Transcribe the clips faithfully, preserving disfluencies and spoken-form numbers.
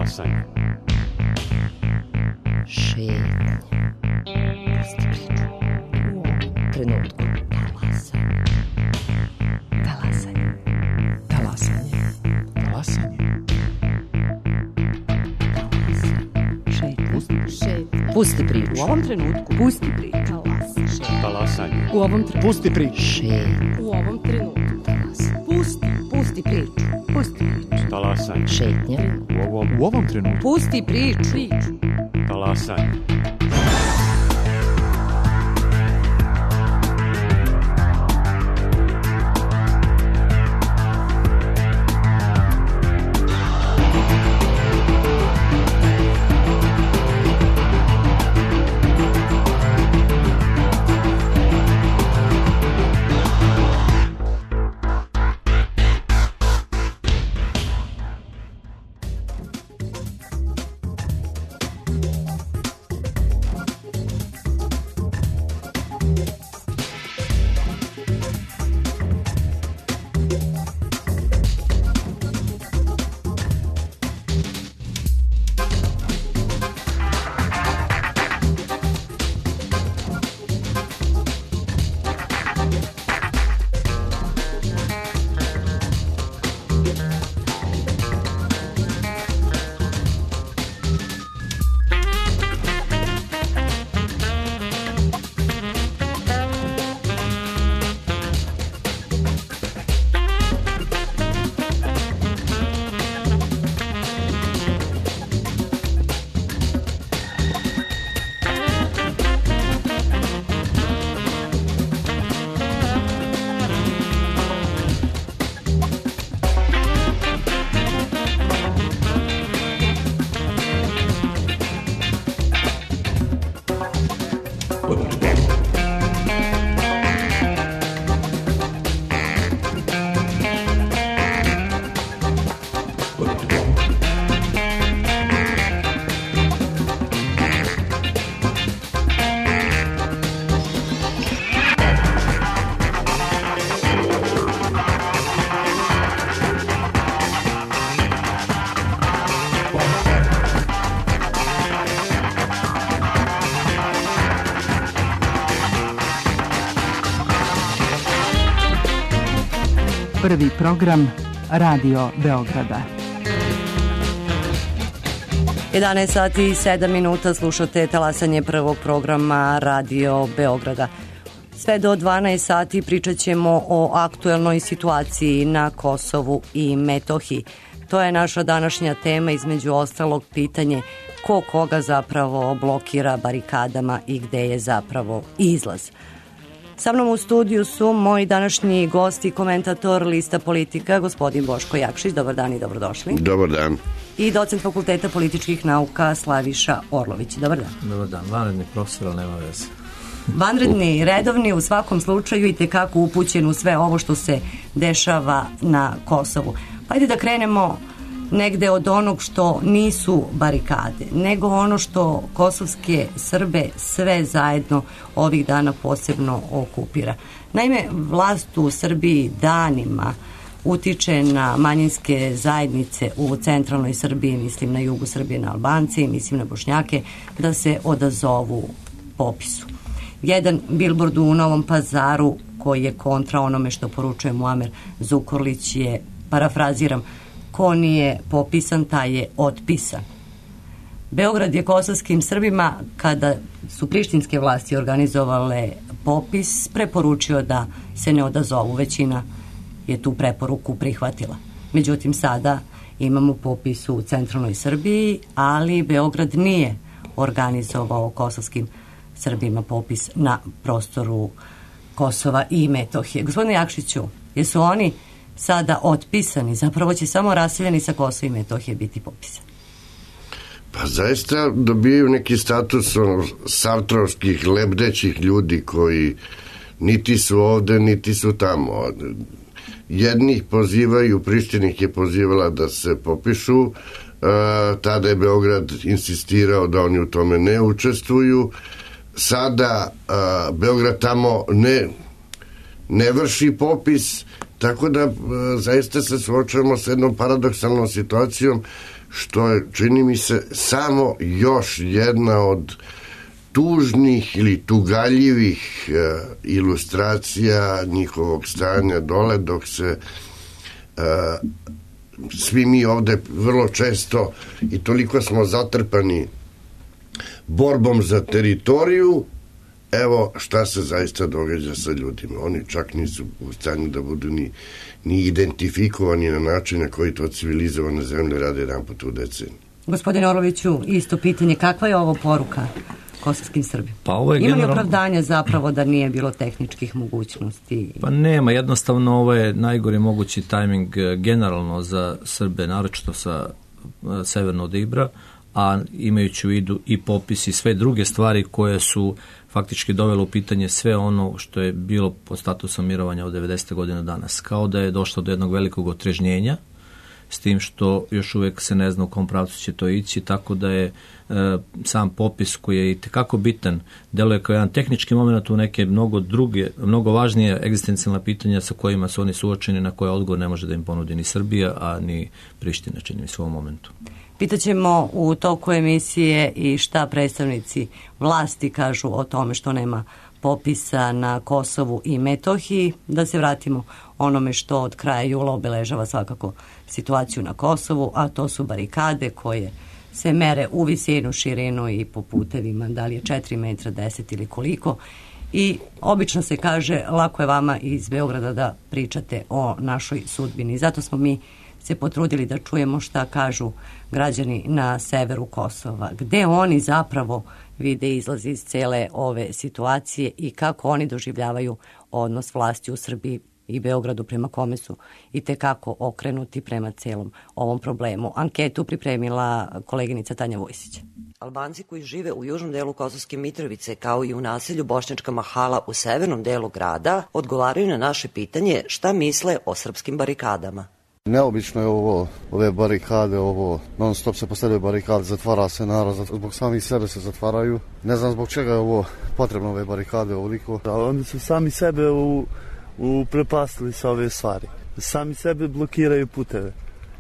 Talasanje. Šetnja. Pusti priču. U ovom trenutku. Talasanje. Talasanje. Talasanje. Talasanje. Šetnja. Šetnja. Pusti priču. U ovom trenutku. Pusti priču. Talasanje. U ovom trenutku. Pusti priču. Šetnja. U ovom trenutku. Pusti. Pusti priču. Pusti priču. Talasanje. Šetnja. U ovom, U ovom trenutku. Pusti priču. Priču. talasanje. Prvi program Radio Beograda. jedanaest sati i sedam minuta, slušate talasanje prvog programa Radio Beograda. Sve do dvanaest sati pričat ćemo o aktuelnoj situaciji na Kosovu i Metohiji. To je naša današnja tema, između ostalog pitanje ko koga zapravo blokira barikadama i gde je zapravo izlaz. Sa mnom u studiju su moji današnji gosti, komentator Lista Politika, gospodin Boško Jakšić. Dobar dan i dobrodošli. Dobar dan. I docent Fakulteta političkih nauka Slaviša Orlović. Dobar dan. Dobar dan. Vanredni profesor, ali nema veze. Vanredni, redovni, u svakom slučaju i tekako upućen u sve ovo što se dešava na Kosovu. Pa ajde da krenemo negde od onog što nisu barikade, nego ono što kosovske Srbe sve zajedno ovih dana posebno okupira. Naime, vlast u Srbiji danima utiče na manjinske zajednice u centralnoj Srbiji, mislim na jugu Srbije, na Albance, mislim na Bošnjake, da se odazovu popisu. Jedan bilbord u Novom Pazaru koji je kontra onome što poručuje Muamer Zukorlić je, parafraziram, ko nije popisan, taj je otpisan. Beograd je kosovskim Srbima, kada su prištinske vlasti organizovale popis, preporučio da se ne odazovu. Većina je tu preporuku prihvatila. Međutim, sada imamo popis u centralnoj Srbiji, ali Beograd nije organizovao kosovskim Srbima popis na prostoru Kosova i Metohije. Gospodine Jakšiću, jesu oni sada otpisani, zapravo će samo raseljeni sa Kosova i Metohije biti popisani? Pa zaista dobijaju neki status ono, sartrovskih, lebdećih ljudi koji niti su ovde, niti su tamo. Jednih pozivaju, Prištinih je pozivala da se popišu, e, tada je Beograd insistirao da oni u tome ne učestvuju. Sada e, Beograd tamo ne, ne vrši popis, tako da e, zaista se suočavamo s jednom paradoksalnom situacijom što je, čini mi se, samo još jedna od tužnih ili tugaljivih e, ilustracija njihovog stanja dole, dok se e, svi mi ovde vrlo često i toliko smo zatrpani borbom za teritoriju. Evo šta se zaista događa sa ljudima. Oni čak nisu u stanju da budu ni, ni identifikovani na način na koji to civilizovane zemlje rade jedan put u deceniju. Gospodine Orloviću, isto pitanje, kakva je ovo poruka kosovskim Srbima? Pa ovo je Ima li generalno... opravdanja zapravo da nije bilo tehničkih mogućnosti? Pa nema, jednostavno ovo je najgori mogući tajming generalno za Srbe, naročito sa severno od Ibra, a imajući u vidu i popis i sve druge stvari koje su faktički dovelo u pitanje sve ono što je bilo pod statusom mirovanja od devedesete godine danas. Kao da je došlo do jednog velikog otrežnjenja, s tim što još uvek se ne zna u kom pravcu će to ići, tako da je e, sam popis koji je i tekako bitan, deluje kao jedan tehnički moment u neke mnogo druge, mnogo važnije egzistencijalna pitanja sa kojima su oni suočeni, na koje odgovor ne može da im ponudi ni Srbija, a ni Priština, čini mi se u ovom momentu. Pitaćemo u toku emisije i šta predstavnici vlasti kažu o tome što nema popisa na Kosovu i Metohiji. Da se vratimo onome što od kraja jula obeležava svakako situaciju na Kosovu, a to su barikade koje se mere u visinu, širinu i po putevima, da li je četiri metra, deset ili koliko. I obično se kaže, lako je vama iz Beograda da pričate o našoj sudbini. Zato smo mi se potrudili da čujemo šta kažu građani na severu Kosova. Gde oni zapravo vide izlaz iz cele ove situacije i kako oni doživljavaju odnos vlasti u Srbiji i Beogradu prema kome su i tekako okrenuti prema celom ovom problemu. Anketu pripremila koleginica Tanja Vojsić. Albanci koji žive u južnom delu Kosovske Mitrovice kao i u naselju Bošnjačka Mahala u severnom delu grada odgovaraju na naše pitanje šta misle o srpskim barikadama. Neobično je ovo, ove barikade, ovo non stop se postavljaju barikade, zatvara se narod, zbog samih sebe se zatvaraju. Ne znam zbog čega je ovo potrebno, ove barikade ovoliko. Da, oni su sami sebe u, uprepastili sa ove stvari. Sami sebe blokiraju puteve.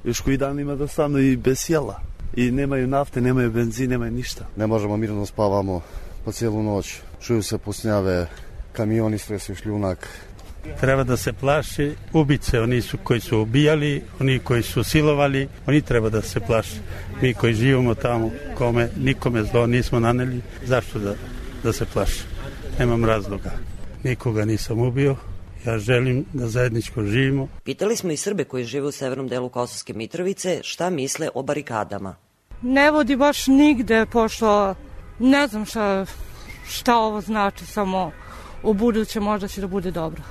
Još koji dan ima dostavno i bez jela. I nemaju nafte, nemaju benzina, nemaju ništa. Ne možemo mirno spavamo po cijelu noć. Čuju se pusnjave, kamioni stresu šljunak. Treba da se plaši ubice, oni su koji su ubijali, oni koji su silovali, oni treba da se plaši. Mi koji živimo tamo, kome, nikome zlo nismo naneli, zašto da, da se plaši? Nemam razloga. Nikoga nisam ubio, ja želim da zajedničko živimo. Pitali smo i Srbe koji žive u severnom delu Kosovske Mitrovice šta misle o barikadama. Ne vodi baš nigde, pošto ne znam šta, šta ovo znači, samo u buduće možda će da bude dobro.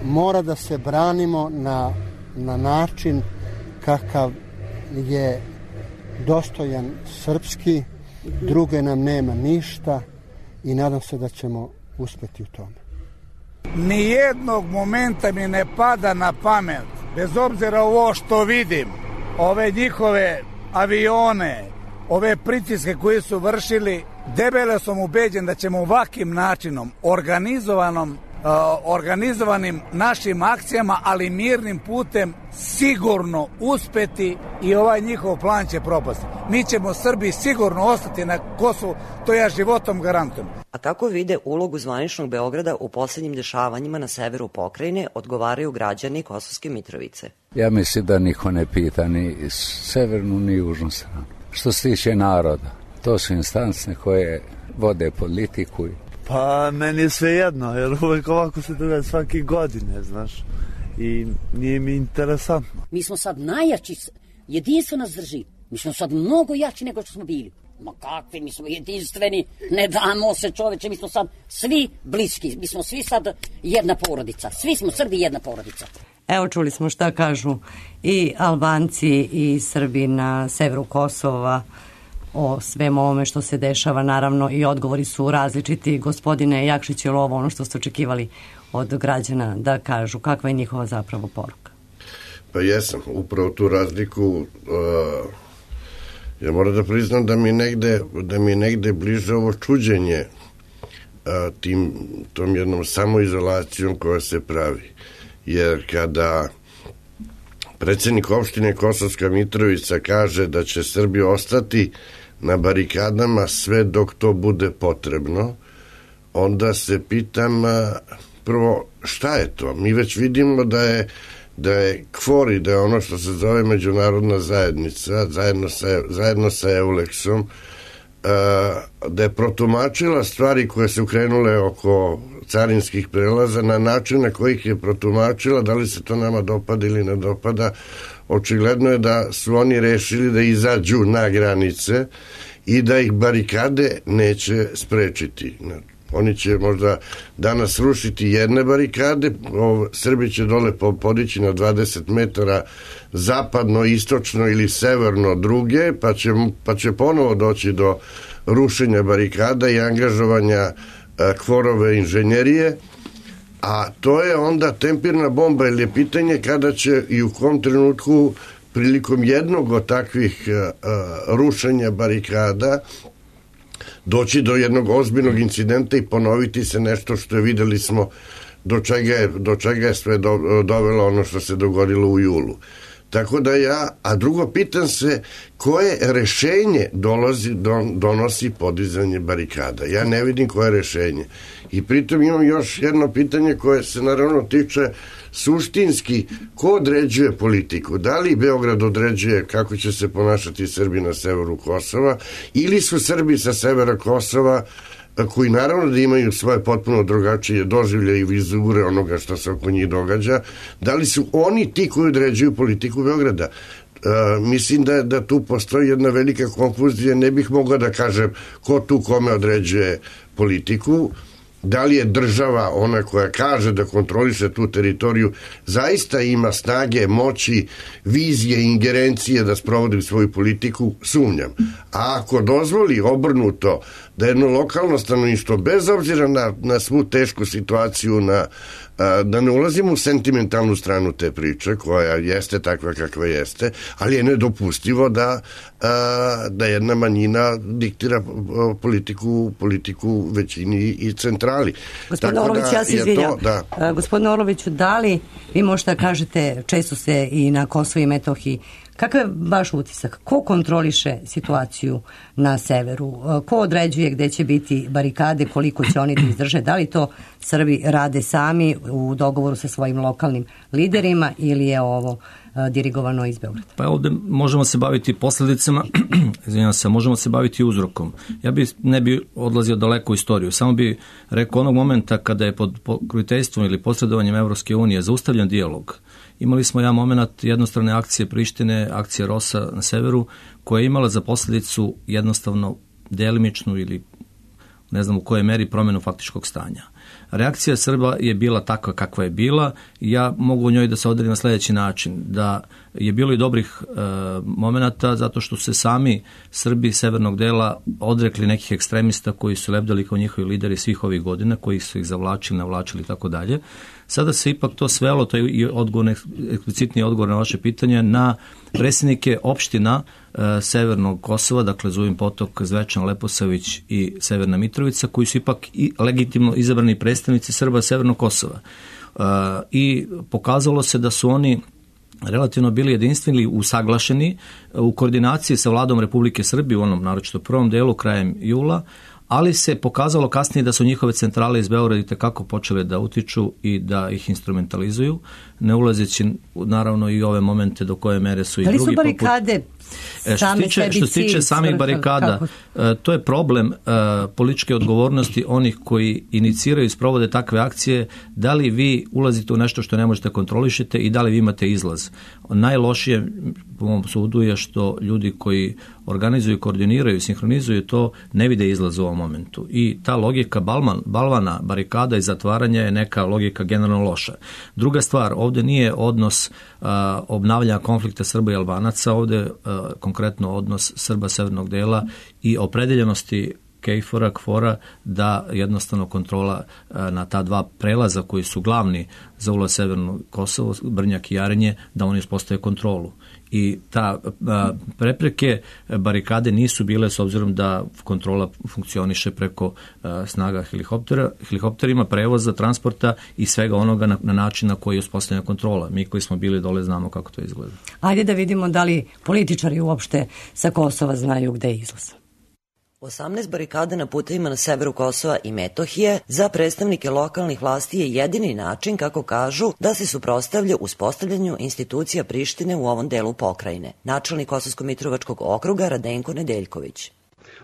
Mora da se branimo na, na način kakav je dostojan srpski, druge nam nema ništa i nadam se da ćemo uspeti u tome. Nijednog momenta mi ne pada na pamet, bez obzira ovo što vidim, ove njihove avione, ove pritiske koje su vršili, debelo sam ubeđen da ćemo ovakvim načinom, organizovanom, uh, organizovanim našim akcijama, ali mirnim putem, sigurno uspeti i ovaj njihov plan će propasti. Mi ćemo Srbi sigurno ostati na Kosovu, to ja životom garantujem. A kako vide ulogu zvaničnog Beograda u posljednjim dešavanjima na severu pokrajine, odgovaraju građani Kosovske Mitrovice. Ja mislim da niko ne pita ni severnu ni južnu stranu. Što se tiče naroda, to su instance koje vode politiku. Pa meni je sve jedno, jer uvek ovako se događa svake godine, znaš, i nije mi interesantno. Mi smo sad najjači, jedinstvo nas drži, mi smo sad mnogo jači nego što smo bili. Ma kakvi, mi smo jedinstveni, ne damo se čoveče, mi smo sad svi bliski, mi smo svi sad jedna porodica, svi smo Srbi jedna porodica. Evo čuli smo šta kažu i Albanci i Srbi na severu Kosova o svemu ovome što se dešava, naravno i odgovori su različiti. Gospodine Jakšić, je li ovo ono što ste očekivali od građana da kažu? Kakva je njihova zapravo poruka? Pa jesam, upravo tu razliku uh, ja moram da priznam da mi negde, da mi negde bliže ovo čuđenje uh, tim, tom jednom samoizolacijom koja se pravi. Jer kada predsjednik opštine Kosovska Mitrovica kaže da će Srbi ostati na barikadama sve dok to bude potrebno, onda se pitam prvo šta je to? Mi već vidimo da je da je KFOR i da je ono što se zove međunarodna zajednica zajedno sa, zajedno sa Euleksom da je protumačila stvari koje su krenule oko carinskih prelaza na način na kojih je protumačila, da li se to nama dopada ili ne dopada. Očigledno je da su oni rešili da izađu na granice i da ih barikade neće sprečiti. Oni će možda danas rušiti jedne barikade, Srbi će dole podići na dvadeset metara zapadno, istočno ili severno druge, pa će, pa će ponovo doći do rušenja barikada i angažovanja KFOR-ove inženjerije, a to je onda tempirna bomba, ili je pitanje kada će i u kom trenutku prilikom jednog od takvih rušenja barikada doći do jednog ozbiljnog incidenta i ponoviti se nešto što je, videli smo do čega je, do čega je sve do, dovelo ono što se dogodilo u julu. Tako da ja, a drugo pitam se koje rešenje dolazi, don, donosi podizanje barikada. Ja ne vidim koje rešenje. I pritom imam još jedno pitanje koje se naravno tiče suštinski, ko određuje politiku? Da li Beograd određuje kako će se ponašati Srbi na severu Kosova ili su Srbi sa severa Kosova, koji naravno da imaju svoje potpuno drugačije doživlje i vizure onoga što se oko njih događa, da li su oni ti koji određuju politiku Beograda? Uh, mislim da, da tu postoji jedna velika konfuzija, ne bih mogao da kažem ko tu kome određuje politiku, da li je država ona koja kaže da kontroliše tu teritoriju, zaista ima snage, moći, vizije, ingerencije da sprovodi svoju politiku, sumnjam. A ako dozvoli obrnuto da jedno lokalno stanovništvo, bez obzira na, na svu tešku situaciju, na, a, da ne ulazimo u sentimentalnu stranu te priče, koja jeste takva kakva jeste, ali je nedopustivo da, a, da jedna manjina diktira politiku, politiku većini i centrali. Gospodin Orlović, ja se izvinjam. Da. Gospodin Orloviću, da li vi možete kažete, često se i na Kosovu i Metohiji, kakav je vaš utisak? Ko kontroliše situaciju na severu? Ko određuje gde će biti barikade, koliko će oni da izdrže? Da li to Srbi rade sami u dogovoru sa svojim lokalnim liderima ili je ovo dirigovano iz Beograda? Pa ovde možemo se baviti posledicama, izvinjam se, možemo se baviti uzrokom. Ja bi, ne bi odlazio daleko u istoriju, samo bi rekao onog momenta kada je pod pokroviteljstvom ili posredovanjem Evropske unije zaustavljen dijalog. Imali smo jedan moment jednostrane akcije Prištine, akcije Rosa na severu, koja je imala za posledicu jednostavno delimičnu ili ne znam u kojoj meri promenu faktičkog stanja. Reakcija Srba je bila takva kakva je bila. Ja mogu u njoj da se odredim na sljedeći način, da je bilo i dobrih e, momenata zato što se sami Srbi severnog dela odrekli nekih ekstremista koji su lebdali kao njihovi lideri svih ovih godina, koji su ih zavlačili, navlačili i tako dalje. Sada se ipak to svelo, to je i odgovor, eksplicitni odgovor na vaše pitanje, na predsjednike opština e, severnog Kosova, dakle Zubin Potok, Zvečan, Leposavić i Severna Mitrovica, koji su ipak i legitimno izabrani predstavnici Srba severnog Kosova. E, I pokazalo se da su oni relativno bili jedinstveni, usaglašeni u koordinaciji sa vladom Republike Srbije u onom naročito prvom delu krajem jula, ali se pokazalo kasnije da su njihove centrale iz Beograda itekako počele da utiču i da ih instrumentalizuju, ne ulazeći naravno i ove momente do koje mere su i drugi. Ali su barikade poput... Što se tiče, što se tiče samih barikada, kako? To je problem uh, političke odgovornosti onih koji iniciraju i sprovode takve akcije, da li vi ulazite u nešto što ne možete kontrolišete i da li vi imate izlaz. Najlošije, po mom sudu, je što ljudi koji organizuju, koordiniraju, sinhronizuju to, ne vide izlaz u ovom momentu. I ta logika balman, balvana, barikada i zatvaranja je neka logika generalno loša. Druga stvar, ovde nije odnos uh, obnavljanja konflikta Srba i Albanaca, ovde uh, konkretno odnos Srba severnog dela i opredeljenosti KFOR-a, KFOR-a, da jednostavno kontrola na ta dva prelaza koji su glavni za ulaz Severno Kosovo, Brnjak i Jarinje, da oni uspostave kontrolu. I ta a, prepreke, barikade nisu bile s obzirom da kontrola funkcioniše preko a, snaga helikoptera, helikopterima, prevoza, transporta i svega onoga na, na način na koji je uspostavljena kontrola. Mi koji smo bili dole znamo kako to izgleda. Ajde da vidimo da li političari uopšte sa Kosova znaju gde je izlaz. osamnaest barikada na putevima na severu Kosova i Metohije za predstavnike lokalnih vlasti je jedini način, kako kažu, da se suprotstavlja uspostavljanju institucija Prištine u ovom delu pokrajine. Načelnik Kosovsko-Mitrovačkog okruga Radenko Nedeljković.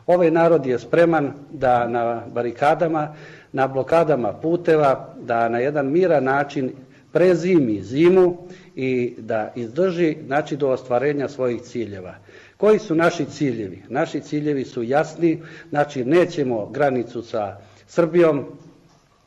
Ovaj narod je spreman da na barikadama, na blokadama puteva, da na jedan miran način prezimi zimu i da izdrži, znači, do ostvarenja svojih ciljeva. Koji su naši ciljevi? Naši ciljevi su jasni, znači nećemo granicu sa Srbijom,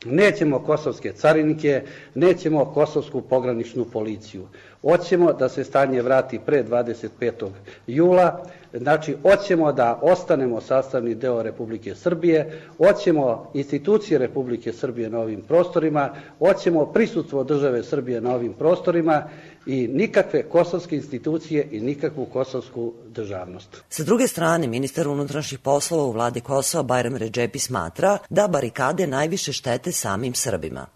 nećemo kosovske carinike, nećemo kosovsku pograničnu policiju. Hoćemo da se stanje vrati pre dvadeset petog jula, znači hoćemo da ostanemo sastavni deo Republike Srbije, hoćemo institucije Republike Srbije na ovim prostorima, hoćemo prisustvo države Srbije na ovim prostorima i nikakve kosovske institucije i nikakvu kosovsku državnost. Sa druge strane, ministar unutrašnjih poslova u vladi Kosova Bajram Redžepi smatra da barikade najviše štete samim Srbima.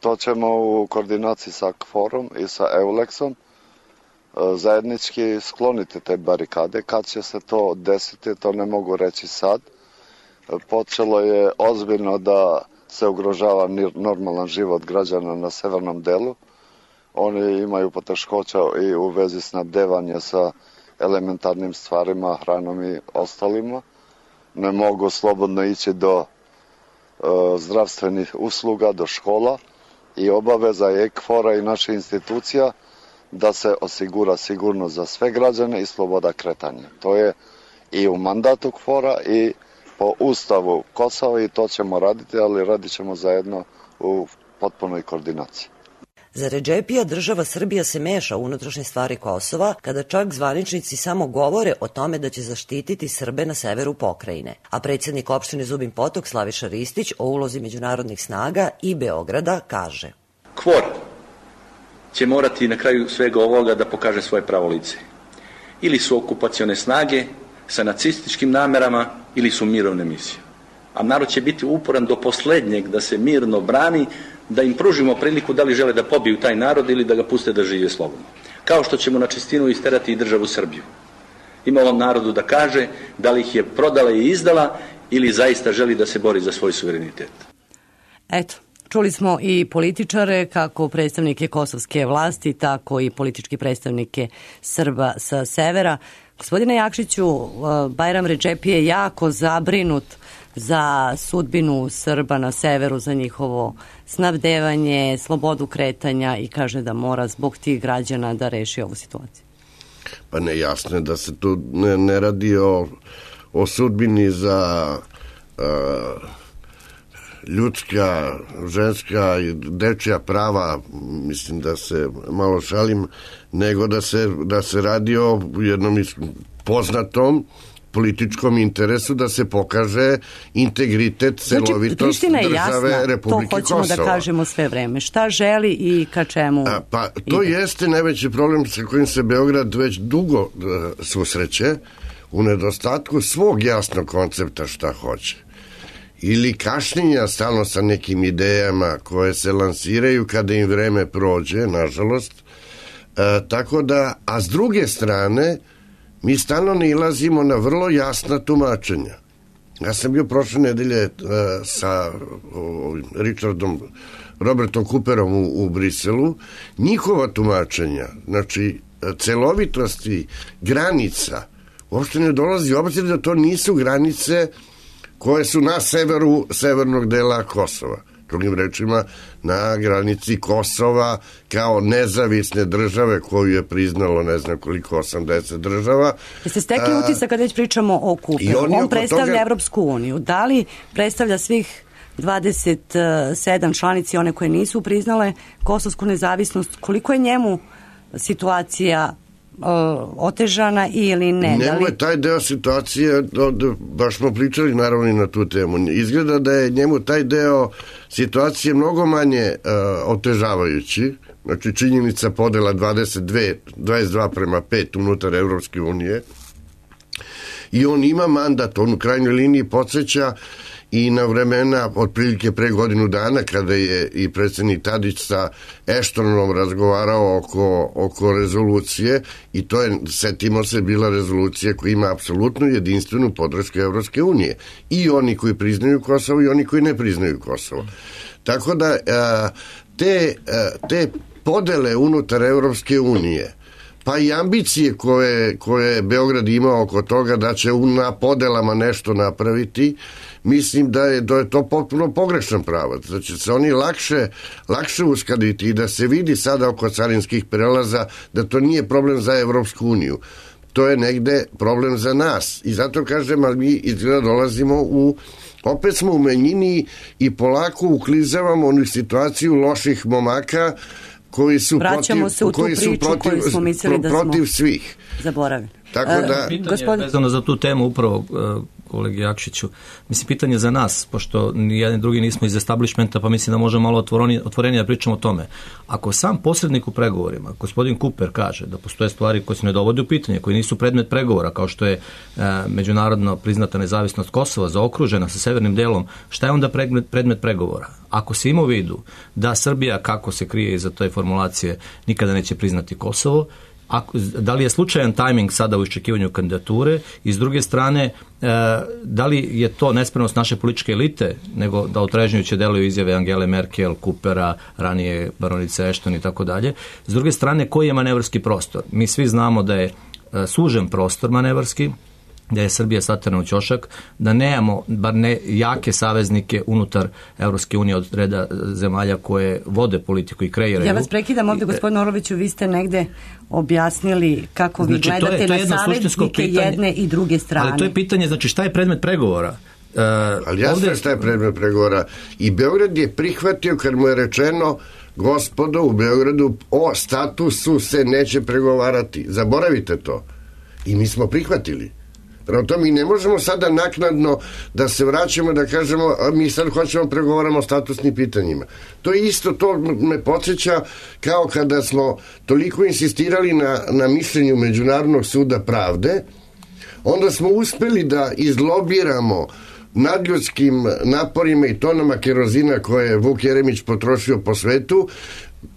To ćemo u koordinaciji sa KFOR-om i sa EULEX-om zajednički skloniti te barikade. Kad će se to desiti, to ne mogu reći sad. Počelo je ozbiljno da se ugrožava normalan život građana na severnom delu. Oni imaju poteškoća i u vezi snabdevanja sa elementarnim stvarima, hranom i ostalima. Ne mogu slobodno ići do zdravstvenih usluga, do škola i obaveza je KFOR-a i naše institucija da se osigura sigurnost za sve građane i sloboda kretanja. To je i u mandatu KFOR-a i po ustavu Kosova i to ćemo raditi, ali radit ćemo zajedno u potpunoj koordinaciji. Za Redžepija država Srbija se meša u unutrašnje stvari Kosova, kada čak zvaničnici samo govore o tome da će zaštititi Srbe na severu pokrajine. A predsjednik opštine Zubin Potok Slaviša Ristić o ulozi međunarodnih snaga i Beograda kaže: KFOR će morati na kraju svega ovoga da pokaže svoje pravo lice. Ili su okupacione snage sa nacističkim namerama ili su mirovne misije. A narod će biti uporan do poslednjeg da se mirno brani, da im pružimo priliku da li žele da pobiju taj narod ili da ga puste da žive slobodno. Kao što ćemo na čistinu isterati i državu Srbiju. Ima ovom narodu da kaže da li ih je prodala i izdala ili zaista želi da se bori za svoj suverenitet. Eto, čuli smo i političare, kako predstavnike kosovske vlasti, tako i politički predstavnike Srba sa severa. Gospodine Jakšiću, Bajram Redžepi je jako zabrinut za sudbinu Srba na severu, za njihovo snabdevanje, slobodu kretanja i kaže da mora zbog tih građana da reši ovu situaciju. Pa ne, jasno je da se tu ne, ne radi o, o sudbini za uh, ljudska, ženska i dečja prava, mislim da se malo šalim, nego da se, da se radi o jednom poznatom političkom interesu da se pokaže integritet, celovitost znači, države jasna, Republike Kosova. To hoćemo Kosova. Da kažemo sve vreme. Šta želi i ka čemu A, Pa to ide. Jeste najveći problem sa kojim se Beograd već dugo uh, susreće u nedostatku svog jasnog koncepta šta hoće. Ili kašnjenja stalno sa nekim idejama koje se lansiraju kada im vreme prođe, nažalost. Uh, tako da, a s druge strane, mi stalno ne ilazimo na vrlo jasna tumačenja. Ja sam bio prošle nedelje uh, sa uh, Richardom, Robertom Cooperom u, u Briselu. Njihova tumačenja, znači celovitosti granica, uopšte ne dolazi u obzir da to nisu granice koje su na severu severnog dela Kosova. Drugim rečima, na granici Kosova kao nezavisne države koju je priznalo ne znam koliko, osamdeset država. Jeste stekli utisak kad već pričamo o Cooperu? On, on predstavlja toga... Evropsku uniju. Da li predstavlja svih dvadeset sedam članici, one koje nisu priznale kosovsku nezavisnost? Koliko je njemu situacija otežana ili ne? Njemu je taj deo situacije, baš smo pričali naravno i na tu temu, izgleda da je njemu taj deo situacije mnogo manje uh, otežavajući, znači činjenica podela dvadeset dve, dvadeset dva prema pet unutar Evropske unije, i on ima mandat, on u krajnjoj liniji podsjeća i na vremena otprilike pre godinu dana kada je i predsjednik Tadić sa Eštonom razgovarao oko, oko rezolucije, i to je, setimo se, bila rezolucija koja ima apsolutnu jedinstvenu podršku Evropske unije, i oni koji priznaju Kosovo i oni koji ne priznaju Kosovo. Tako da te, te podele unutar Evropske unije, pa i ambicije koje, koje Beograd ima oko toga da će na podelama nešto napraviti, mislim da je, da je to potpuno pogrešan pravac. Da će se oni lakše, lakše uskladiti i da se vidi sada oko carinskih prelaza da to nije problem za Evropsku uniju. To je negde problem za nas. I zato kažem, ali mi izgleda dolazimo u, opet smo u manjini i polako uklizavamo u situaciju loših momaka koji su vraćamo protiv, se u tu koji su priču protiv, koju smo mislili da smo protiv svih. Zaboravili. Tako da, pitanje gospodin... vezano za tu temu upravo kolegi Jakšiću, mislim pitanje za nas, pošto ni jedan drugi nismo iz establishmenta, pa mislim da možemo malo otvorenije, otvorenije da pričamo o tome. Ako sam posrednik u pregovorima, gospodin Cooper kaže da postoje stvari koje se ne dovode u pitanje, koji nisu predmet pregovora, kao što je e, međunarodno priznata nezavisnost Kosova zaokružena sa severnim delom, šta je onda predmet, predmet pregovora? Ako se ima u vidu da Srbija, kako se krije iza toj formulacije, nikada neće priznati Kosovo, Ako, da li je slučajan tajming sada u iščekivanju kandidature, i s druge strane, e, da li je to nespremnost naše političke elite, nego da otrežnjujuće deluju izjave Angele Merkel, Coopera, ranije baronice Ashton i tako dalje. S druge strane, koji je manevarski prostor? Mi svi znamo da je e, sužen prostor manevarski, da je Srbija saterana u ćošak, da nemamo bar ne jake saveznike unutar Evropske unije od reda zemalja koje vode politiku i kreiraju. Ja vas prekidam ovdje, gospodine Oroviću, vi ste negde objasnili kako vi znači, gledate to je, to je na saveznike jedne i druge strane. Ali to je pitanje, znači šta je predmet pregovora? Uh, ali jasno ovdje... šta je predmet pregovora. I Beograd je prihvatio kad mu je rečeno, gospodo, u Beogradu o statusu se neće pregovarati. Zaboravite to. I mi smo prihvatili. Prema tome, mi ne možemo sada naknadno da se vraćamo da kažemo, a mi sad hoćemo pregovaramo o statusnim pitanjima. To je isto, to me podsjeća kao kada smo toliko insistirali na, na mišljenju Međunarodnog suda pravde, onda smo uspeli da izlobiramo nadljudskim naporima i tonama kerozina koje je Vuk Jeremić potrošio po svetu,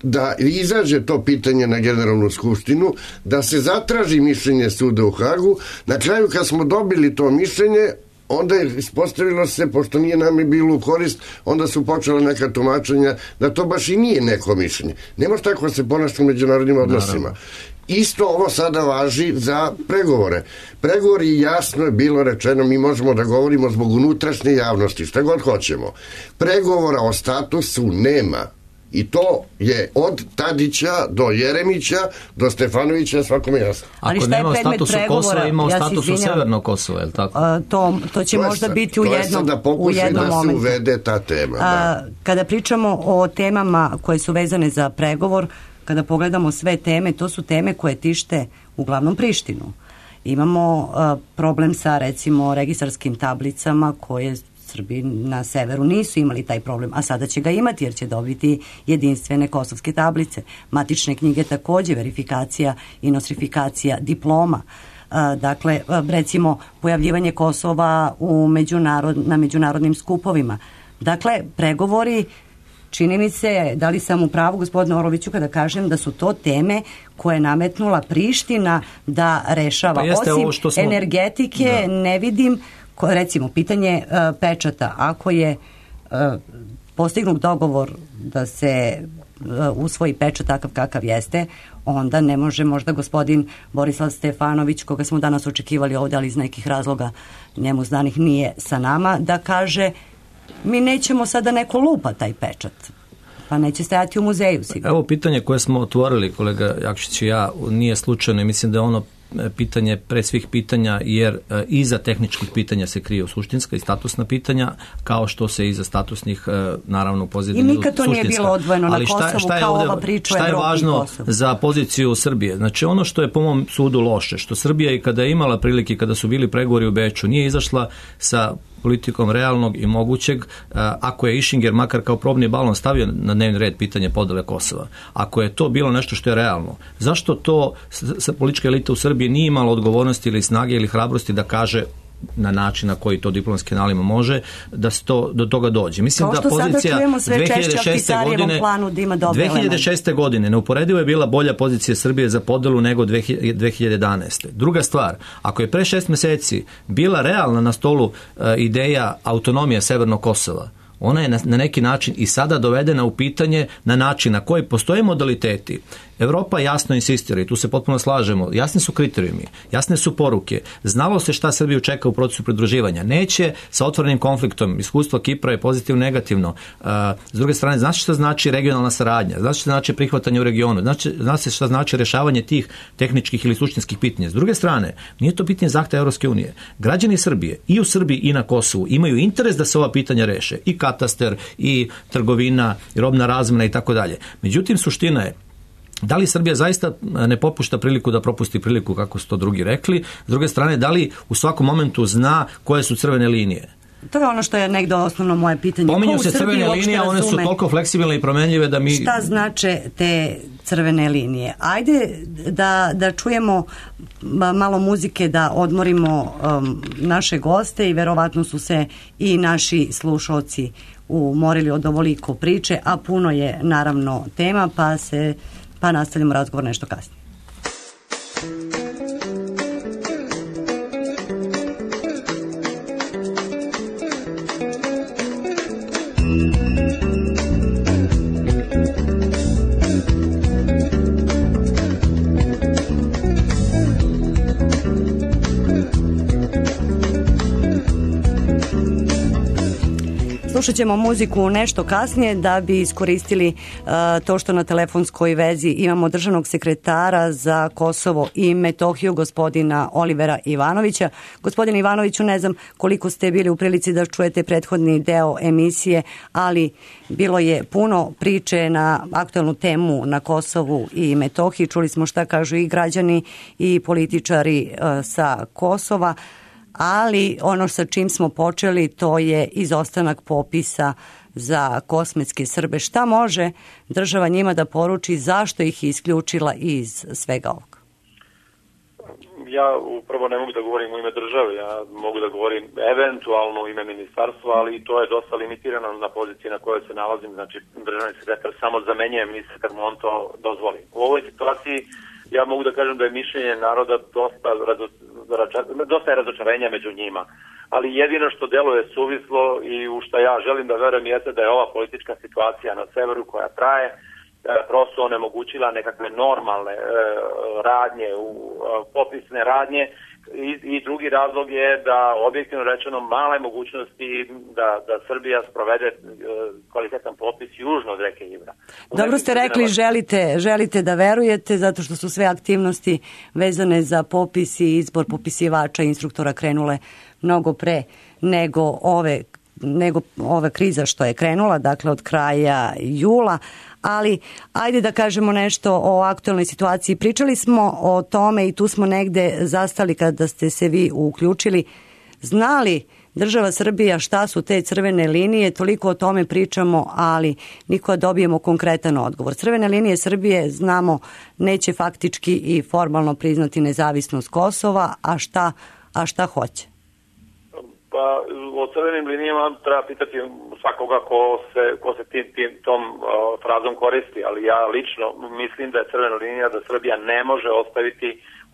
da izađe to pitanje na Generalnu skupštinu, da se zatraži mišljenje suda u Hagu. Na kraju kad smo dobili to mišljenje, onda je ispostavilo se, pošto nije nam bilo u korist, onda su počela neka tumačenja da to baš i nije neko mišljenje. Ne može tako se ponašati u međunarodnim odnosima. Naravno. Isto ovo sada važi za pregovore. Pregovori, jasno je bilo rečeno, mi možemo da govorimo zbog unutrašnje javnosti, šta god hoćemo. Pregovora o statusu nema. I to je od Tadića do Jeremića do Stefanovića svakome jasno. Ako nema o statusu Kosova, ima o statusu ja Severnog Kosova, je li tako? A, to, to će to možda sad, biti u jednom, da u jednom da momentu. Se uvede ta tema. A, da. Kada pričamo o temama koje su vezane za pregovor, kada pogledamo sve teme, to su teme koje tište uglavnom Prištinu. Imamo a, problem sa, recimo, registarskim tablicama koje Srbi na severu nisu imali taj problem, a sada će ga imati jer će dobiti jedinstvene kosovske tablice. Matične knjige takođe, verifikacija i nostrifikacija diploma. Dakle, recimo, pojavljivanje Kosova u međunarod, na međunarodnim skupovima. Dakle, pregovori, čini mi se, da li sam u pravu, gospodine Oroviću, kada kažem da su to teme koje je nametnula Priština da rešava. Pa osim smo... energetike, da. Ne vidim, recimo, pitanje uh, pečata. Ako je uh, postignut dogovor da se uh, usvoji pečat takav kakav jeste, onda ne može možda gospodin Borislav Stefanović, koga smo danas očekivali ovdje, ali iz nekih razloga njemu znanih nije sa nama, da kaže mi nećemo sada neko lupa taj pečat. Pa neće stajati u muzeju sigurno. Evo pitanje koje smo otvorili, kolega Jakšić i ja, nije slučajno i mislim da je ono pitanje pre svih pitanja, jer iza tehničkih pitanja se kriju suštinska i statusna pitanja, kao što se iza statusnih naravno u pozadini suštinska. I nikad to nije bilo odvojeno na Kosovu, šta, šta je kao ovde, ova priča šta je Evropi važno Kosovu? Za poziciju Srbije? Znači ono što je po mom sudu loše, što Srbija i kada je imala prilike, kada su bili pregovori u Beču, nije izašla sa politikom realnog i mogućeg, ako je Išinger makar kao probni balon stavio na dnevni red pitanje podele Kosova. Ako je to bilo nešto što je realno, zašto to sa politička elita u Srbiji nije imala odgovornosti ili snage ili hrabrosti da kaže na način na koji to diplomatski kanalima može, da se to, do toga dođe. Mislim da pozicija dve hiljade šeste godine, da dve hiljade šeste godine neuporedivo je bila bolja pozicija Srbije za podelu nego dve hiljade jedanaeste. Druga stvar, ako je pre šest meseci bila realna na stolu uh, ideja autonomije Severnog Kosova, ona je na, na neki način i sada dovedena u pitanje na način na koji postoje modaliteti. Evropa jasno insistira i tu se potpuno slažemo. Jasni su kriterijumi, jasne su poruke. Znalo se šta Srbiju čeka u procesu pridruživanja. Neće sa otvorenim konfliktom. Iskustvo Kipra je pozitivno negativno. Uh, s druge strane, znači šta znači regionalna saradnja, znači šta znači prihvatanje u regionu, znači, znači šta znači rješavanje tih tehničkih ili suštinskih pitanja. S druge strane, nije to pitanje zahteva Evropske unije. Građani Srbije i u Srbiji i na Kosovu imaju interes da se ova pitanja reše. I katastar, i trgovina, i robna razmena i tako dalje. Međutim, suština je, da li Srbija zaista ne popušta priliku da propusti priliku, kako su to drugi rekli? S druge strane, da li u svakom momentu zna koje su crvene linije? To je ono što je negdje osnovno moje pitanje. Pominju se crvene linije, one su toliko fleksibilne i promenljive da mi... Šta znače te crvene linije? Ajde da, da čujemo malo muzike, da odmorimo um, naše goste i verovatno su se i naši slušalci umorili od ovoliko priče, a puno je naravno tema, pa se pa nastavljamo razgovor nešto kasnije. Slušat ćemo muziku nešto kasnije da bi iskoristili uh, to što na telefonskoj vezi imamo državnog sekretara za Kosovo i Metohiju, gospodina Olivera Ivanovića. Gospodin Ivanoviću, ne znam koliko ste bili u prilici da čujete prethodni deo emisije, ali bilo je puno priče na aktualnu temu na Kosovu i Metohiji. Čuli smo šta kažu i građani i političari uh, sa Kosova. Ali ono sa čim smo počeli, to je izostanak popisa za kosmetske Srbe. Šta može država njima da poruči, zašto ih je isključila iz svega ovoga? Ja upravo ne mogu da govorim u ime države, ja mogu da govorim eventualno u ime ministarstva, ali to je dosta limitirano na poziciji na kojoj se nalazim, znači državni sekretar samo zamenjuje ministra kad mu on to dozvoli. U ovoj situaciji ja mogu da kažem da je mišljenje naroda dosta, dosta je razočarenja među njima, ali jedino što deluje suvislo i u što ja želim da verujem jeste da je ova politička situacija na severu koja traje prosto onemogućila nekakve normalne e, radnje, u, popisne radnje i, i drugi razlog je da objektivno rečeno male mogućnosti da, da Srbija sprovede e, kvalitetan popis južno od reke Ibra. Dobro ste rekli, želite, želite da verujete zato što su sve aktivnosti vezane za popis i izbor popisivača i instruktora krenule mnogo pre nego ove nego ova kriza što je krenula, dakle od kraja jula, ali ajde da kažemo nešto o aktualnoj situaciji. Pričali smo o tome i tu smo negde zastali kada ste se vi uključili. Znali država Srbija šta su te crvene linije, toliko o tome pričamo, ali niko dobijemo konkretan odgovor. Crvene linije Srbije, znamo, neće faktički i formalno priznati nezavisnost Kosova, a šta, a šta hoće? Pa o crvenim linijama treba pitati svakoga ko se, ko se tim, tim, tom uh, frazom koristi, ali ja lično mislim da je crvena linija da Srbija ne može ostaviti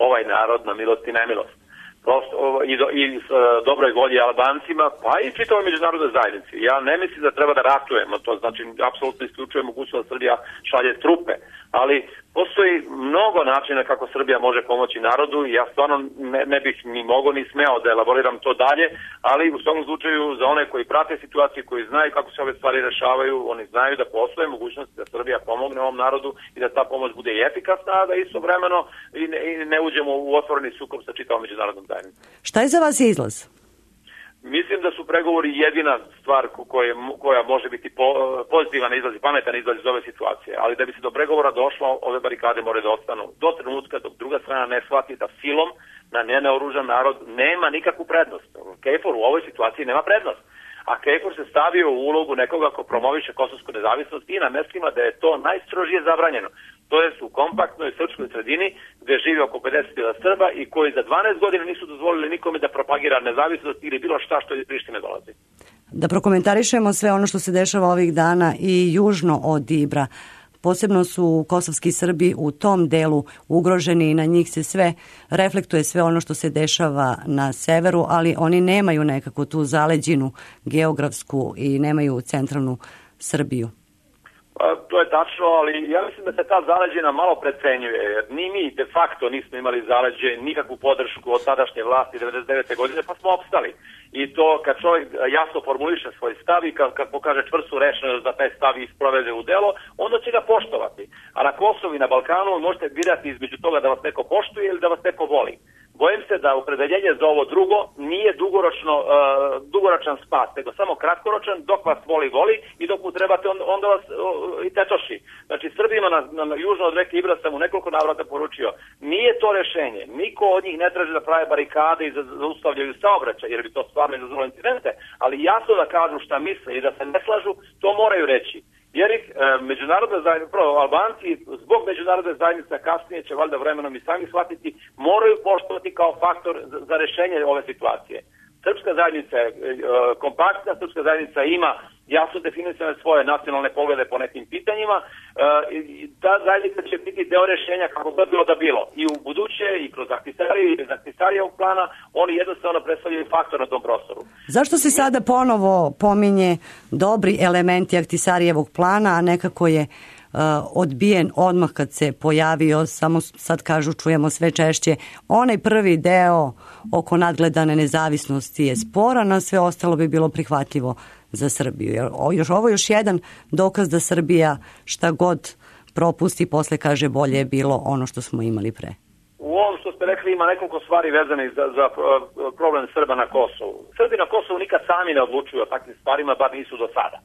ovaj narod na milost i nemilost. Prosto, i, do, i s uh, dobroj volji Albancima, pa i čitavoj međunarodnoj zajednici. Ja ne mislim da treba da ratujemo, to znači apsolutno isključuje mogućnost da Srbija šalje trupe, ali postoji mnogo načina kako Srbija može pomoći narodu i ja stvarno ne, ne bih ni mogao ni smeo da elaboriram to dalje, ali u svom slučaju za one koji prate situaciju, koji znaju kako se ove stvari rešavaju, oni znaju da postoje mogućnosti da Srbija pomogne ovom narodu i da ta pomoć bude i efikasna, a da istovremeno i ne, i ne uđemo u otvoreni sukob sa čitavom međunarodnom zajednicom. Šta je za vas izlaz? Mislim da su pregovori jedina stvar koja, koja može biti po, pozitivan izlaz i pametan izlaz iz ove situacije, ali da bi se do pregovora došlo, ove barikade moraju da ostanu do trenutka dok druga strana ne shvati da silom na nenaoružan narod nema nikakvu prednost. KFOR u ovoj situaciji nema prednost. A KFOR se stavio u ulogu nekoga ko promoviše kosovsku nezavisnost i na mestima da je to najstrožije zabranjeno. To je u kompaktnoj srpskoj sredini gde živi oko pedeset hiljada Srba i koji za dvanaest godina nisu dozvolili nikome da propagira nezavisnost ili bilo šta što iz Prištine dolazi. Da prokomentarišemo sve ono što se dešava ovih dana i južno od Ibra. Posebno su kosovski Srbi u tom delu ugroženi i na njih se sve reflektuje sve ono što se dešava na severu, ali oni nemaju nekako tu zaleđinu geografsku i nemaju centralnu Srbiju. Pa, to je tačno, ali ja mislim da se ta zaleđena malo precenjuje, jer ni mi de facto nismo imali zaleđe, nikakvu podršku od tadašnje vlasti devedeset devete godine, pa smo opstali. I to kad čovjek jasno formuliše svoj stav i kad, kad pokaže čvrstu rešenost da taj stav isprovede u delo, onda će ga poštovati. A na Kosovu i na Balkanu možete birati između toga da vas neko poštuje ili da vas neko voli. Bojim se da opredeljenje za ovo drugo nije dugoročno, uh, dugoročan spas, nego samo kratkoročan, dok vas voli, voli i dok mu trebate, on, onda vas uh, i tetoši. Znači, Srbima na, na, na južno od reke Ibra sam u nekoliko navrata poručio, nije to rešenje, niko od njih ne traži da prave barikade i da zaustavljaju saobraćaj, jer bi to stvarno izazvalo incidente, ali jasno da kažu šta misle i da se ne slažu, to moraju reći. Jer ih e, međunarodna zajednica, prvo Albanci, zbog međunarodne zajednice kasnije će valjda vremenom i sami shvatiti, moraju poštovati kao faktor za, za rešenje ove situacije. Srpska zajednica je e, kompaktna, srpska zajednica ima jasno definisane svoje nacionalne poglede po nekim pitanjima, e, i ta zajednica će biti deo rešenja kako god bilo da bilo. I u buduće, i kroz Ahtisariju, i bez Ahtisarijevog plana, oni jednostavno predstavljaju faktor na tom prostoru. Zašto se sada ponovo pominje dobri elementi Ahtisarijevog plana, a nekako je uh, odbijen odmah kad se pojavio, samo sad kažu, čujemo sve češće, onaj prvi deo oko nadgledane nezavisnosti je sporan, a sve ostalo bi bilo prihvatljivo za Srbiju. Jer još, ovo je još jedan dokaz da Srbija šta god propusti, posle kaže bolje je bilo ono što smo imali pre. U ovom što ste rekli ima nekoliko stvari vezanih za, za problem Srba na Kosovu. Srbi na Kosovu nikad sami ne odlučuju o takvim stvarima, bar nisu do sada.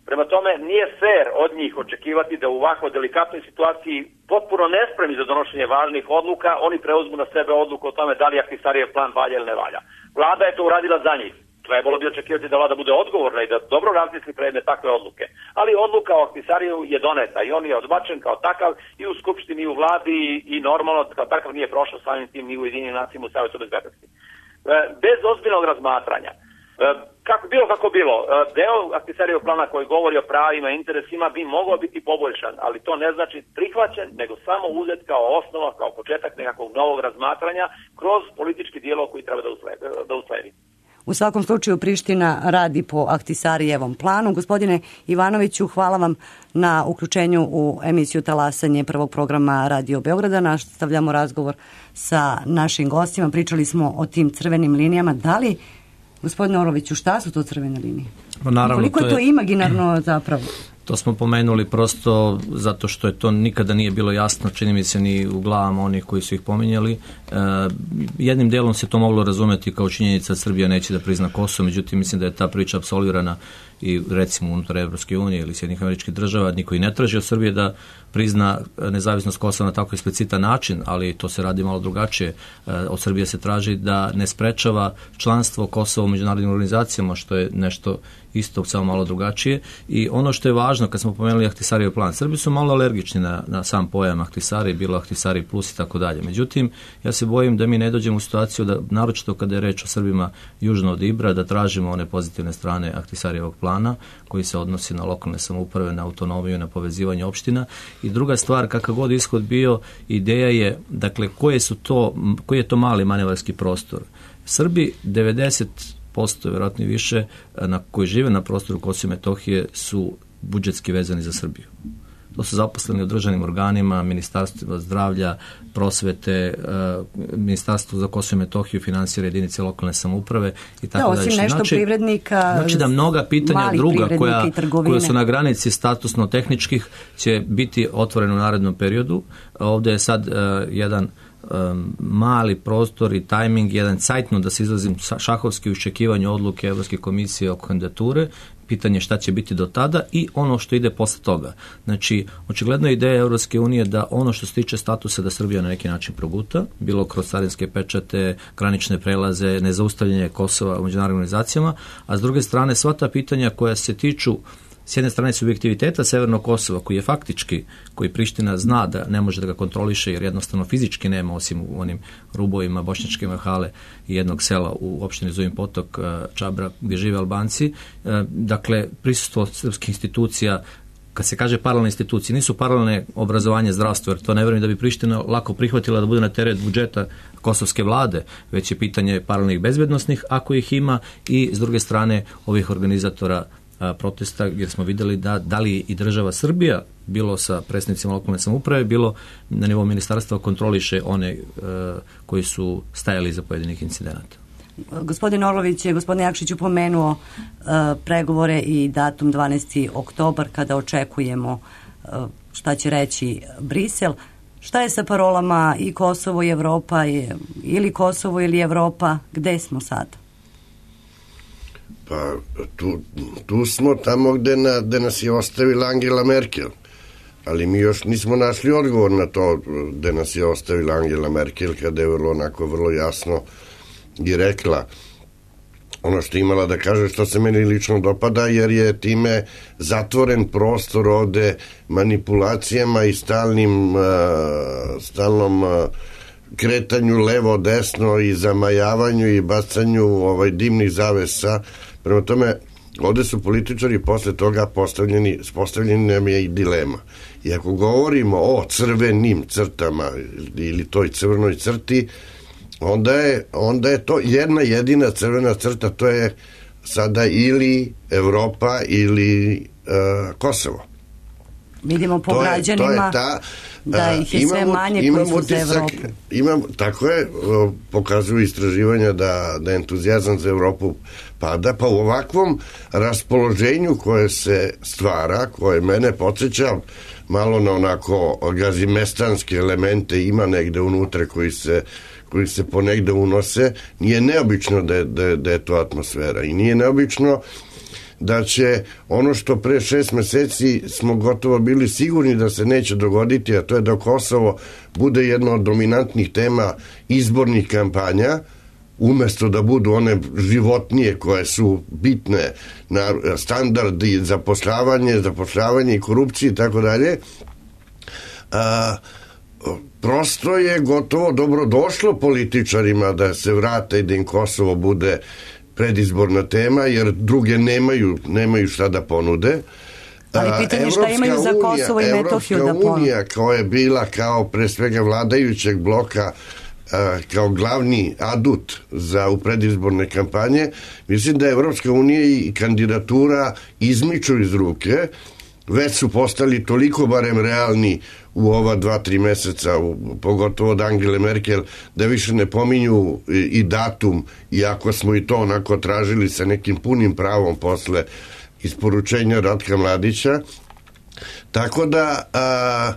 Prema tome, nije fair od njih očekivati da u ovako delikatnoj situaciji, potpuno nespremni za donošenje važnih odluka, oni preuzmu na sebe odluku o tome da li Ahtisarijev plan valja ili ne valja. Vlada je to uradila za njih. Trebalo bi očekivati da vlada bude odgovorna i da dobro razmisli predne takve odluke. Ali odluka o Ahtisariju je doneta i on je odbačen kao takav i u Skupštini i u vladi i, i normalno kao takav nije prošao samim tim ni u Ujedinjenim nacijama u Savetu bezbednosti. Bez ozbiljnog razmatranja, kako bilo kako bilo, deo Ahtisarijevog plana koji govori o pravima i interesima bi mogao biti poboljšan, ali to ne znači prihvaćen, nego samo uzet kao osnova, kao početak nekakvog novog razmatranja kroz politički dijalog koji treba da usledi. Da usledi. U svakom slučaju Priština radi po Ahtisarijevom planu. Gospodine Ivanoviću, hvala vam na uključenju u emisiju Talasanje prvog programa Radio Beograda. Nastavljamo razgovor sa našim gostima. Pričali smo o tim crvenim linijama. Da li, gospodine Orloviću, šta su to crvene linije? No, naravno, koliko je to imaginarno zapravo? To smo pomenuli prosto zato što je to nikada nije bilo jasno, čini mi se ni u glavama onih koji su ih pominjali. E, jednim delom se to moglo razumeti kao činjenica da Srbija neće da prizna Kosovo, međutim mislim da je ta priča apsolvirana i recimo unutar Evropske unije ili Sjedinjenih Američkih Država, niko i ne traži od Srbije da prizna nezavisnost Kosova na tako eksplicitan način, ali to se radi malo drugačije. Od Srbije se traži da ne sprečava članstvo Kosova u međunarodnim organizacijama, što je nešto isto samo malo drugačije. I ono što je važno, kad smo pomenuli Ahtisarijev plan, Srbi su malo alergični na, na sam pojam Ahtisari, bilo Ahtisari plus i tako dalje. Međutim, ja se bojim da mi ne dođemo u situaciju da, naročito kada je reč o Srbima južno od Ibra, da tražimo one pozitivne strane Ahtisarijevog plana koji se odnosi na lokalne samouprave, na autonomiju, na povezivanje opština. I druga stvar, kakav god ishod bio, ideja je, dakle, koje su to, koji je to mali manevarski prostor. Srbi devedeset posto, vjerojatno i više, na koji žive na prostoru Kosova i Metohije su budžetski vezani za Srbiju. to su zaposleni u državnim organima, ministarstva zdravlja, prosvete, ministarstvo za Kosovo i Metohiju finansira jedinice lokalne samouprave i tako da, osim dalje. nešto Znači, privrednika, znači da mnoga pitanja druga koja, koja su na granici statusno-tehničkih će biti otvorene u narednom periodu. Ovdje je sad uh, jedan um, mali prostor i tajming, jedan cajtno, da se izrazim šahovski, u iščekivanju odluke Evropske komisije oko kandidature, pitanje šta će biti do tada i ono što ide posle toga. Znači, očigledno je ideja Evropske unije da ono što se tiče statusa da Srbija na neki način proguta, bilo kroz carinske pečate, granične prelaze, nezaustavljanje Kosova u međunarodnim organizacijama, a s druge strane sva ta pitanja koja se tiču s jedne strane subjektiviteta Severnog Kosova, koji je faktički, koji Priština zna da ne može da ga kontroliše jer jednostavno fizički nema, osim u onim rubovima Bošnjačke Mahale i jednog sela u opštini Zubin Potok, Čabra, gdje žive Albanci. Dakle, prisustvo srpskih institucija, kad se kaže paralelne institucije, nisu paralelne obrazovanje, zdravstvo, jer to ne vjerujem da bi Priština lako prihvatila da bude na teret budžeta kosovske vlade, već je pitanje paralelnih bezbednosnih, ako ih ima, i s druge strane ovih organizatora protesta, jer smo vidjeli da, da li i država Srbija, bilo sa predstavnicima lokalne samouprave, bilo na nivou ministarstva, kontroliše one uh, koji su stajali iza pojedinih incidenata. Gospodin Orlović je, gospodin Jakšić, upomenuo uh, pregovore i datum dvanaesti oktobar kada očekujemo uh, šta će reći Brisel. Šta je sa parolama i Kosovo i Evropa, ili Kosovo ili Evropa, gde smo sad? Pa tu, tu smo tamo gde, na, gde nas je ostavila Angela Merkel, ali mi još nismo našli odgovor na to gde nas je ostavila Angela Merkel, kada je vrlo, onako, vrlo jasno i rekla ono što je imala da kaže, što se meni lično dopada, jer je time zatvoren prostor ovde manipulacijama i stalnim uh, stalnom uh, kretanju levo desno i zamajavanju i bacanju ovaj dimnih zavesa. Prema tome, ovde su političari posle toga postavljeni, postavljeni nam je i dilema. I ako govorimo o crvenim crtama ili toj crvenoj crti, onda je, onda je to jedna jedina crvena crta, to je sada ili Evropa ili uh, Kosovo. Vidimo po to građanima je, to je ta, da ih je imam, sve manje imam koji su utisak, za Evropu. Imam, tako je, pokazuju istraživanja da, da entuzijazam za Evropu pada, pa u ovakvom raspoloženju koje se stvara, koje mene podsjeća malo na onako gazimestanske elemente, ima negde unutra koji se koji se ponegde unose, nije neobično da je, da, da je to atmosfera i nije neobično da će ono što pre šest meseci smo gotovo bili sigurni da se neće dogoditi, a to je da Kosovo bude jedna od dominantnih tema izbornih kampanja, umesto da budu one životnije koje su bitne na standardi zapošljavanje, zapošljavanje i korupcije i tako dalje. A, prosto je gotovo dobro došlo političarima da se vrate i da im Kosovo bude predizborna tema, jer druge nemaju, nemaju šta da ponude. Ali pitanje šta imaju za Kosovo i Metohiju da ponude? Evropska unija koja je bila kao pre svega vladajućeg bloka, kao glavni adut za u predizborne kampanje, mislim da je Evropska unija i kandidatura izmiču iz ruke, već su postali toliko barem realni u ova dva, tri meseca, u, pogotovo od Angele Merkel, da više ne pominju i, i datum, iako smo i to onako tražili sa nekim punim pravom posle isporučenja Ratka Mladića. Tako da a,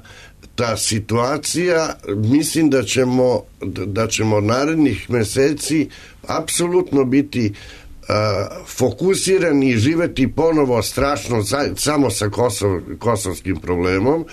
ta situacija, mislim da ćemo, da ćemo narednih meseci apsolutno biti Uh, fokusirani i živeti ponovo strašno za, samo sa Kosov, kosovskim problemom,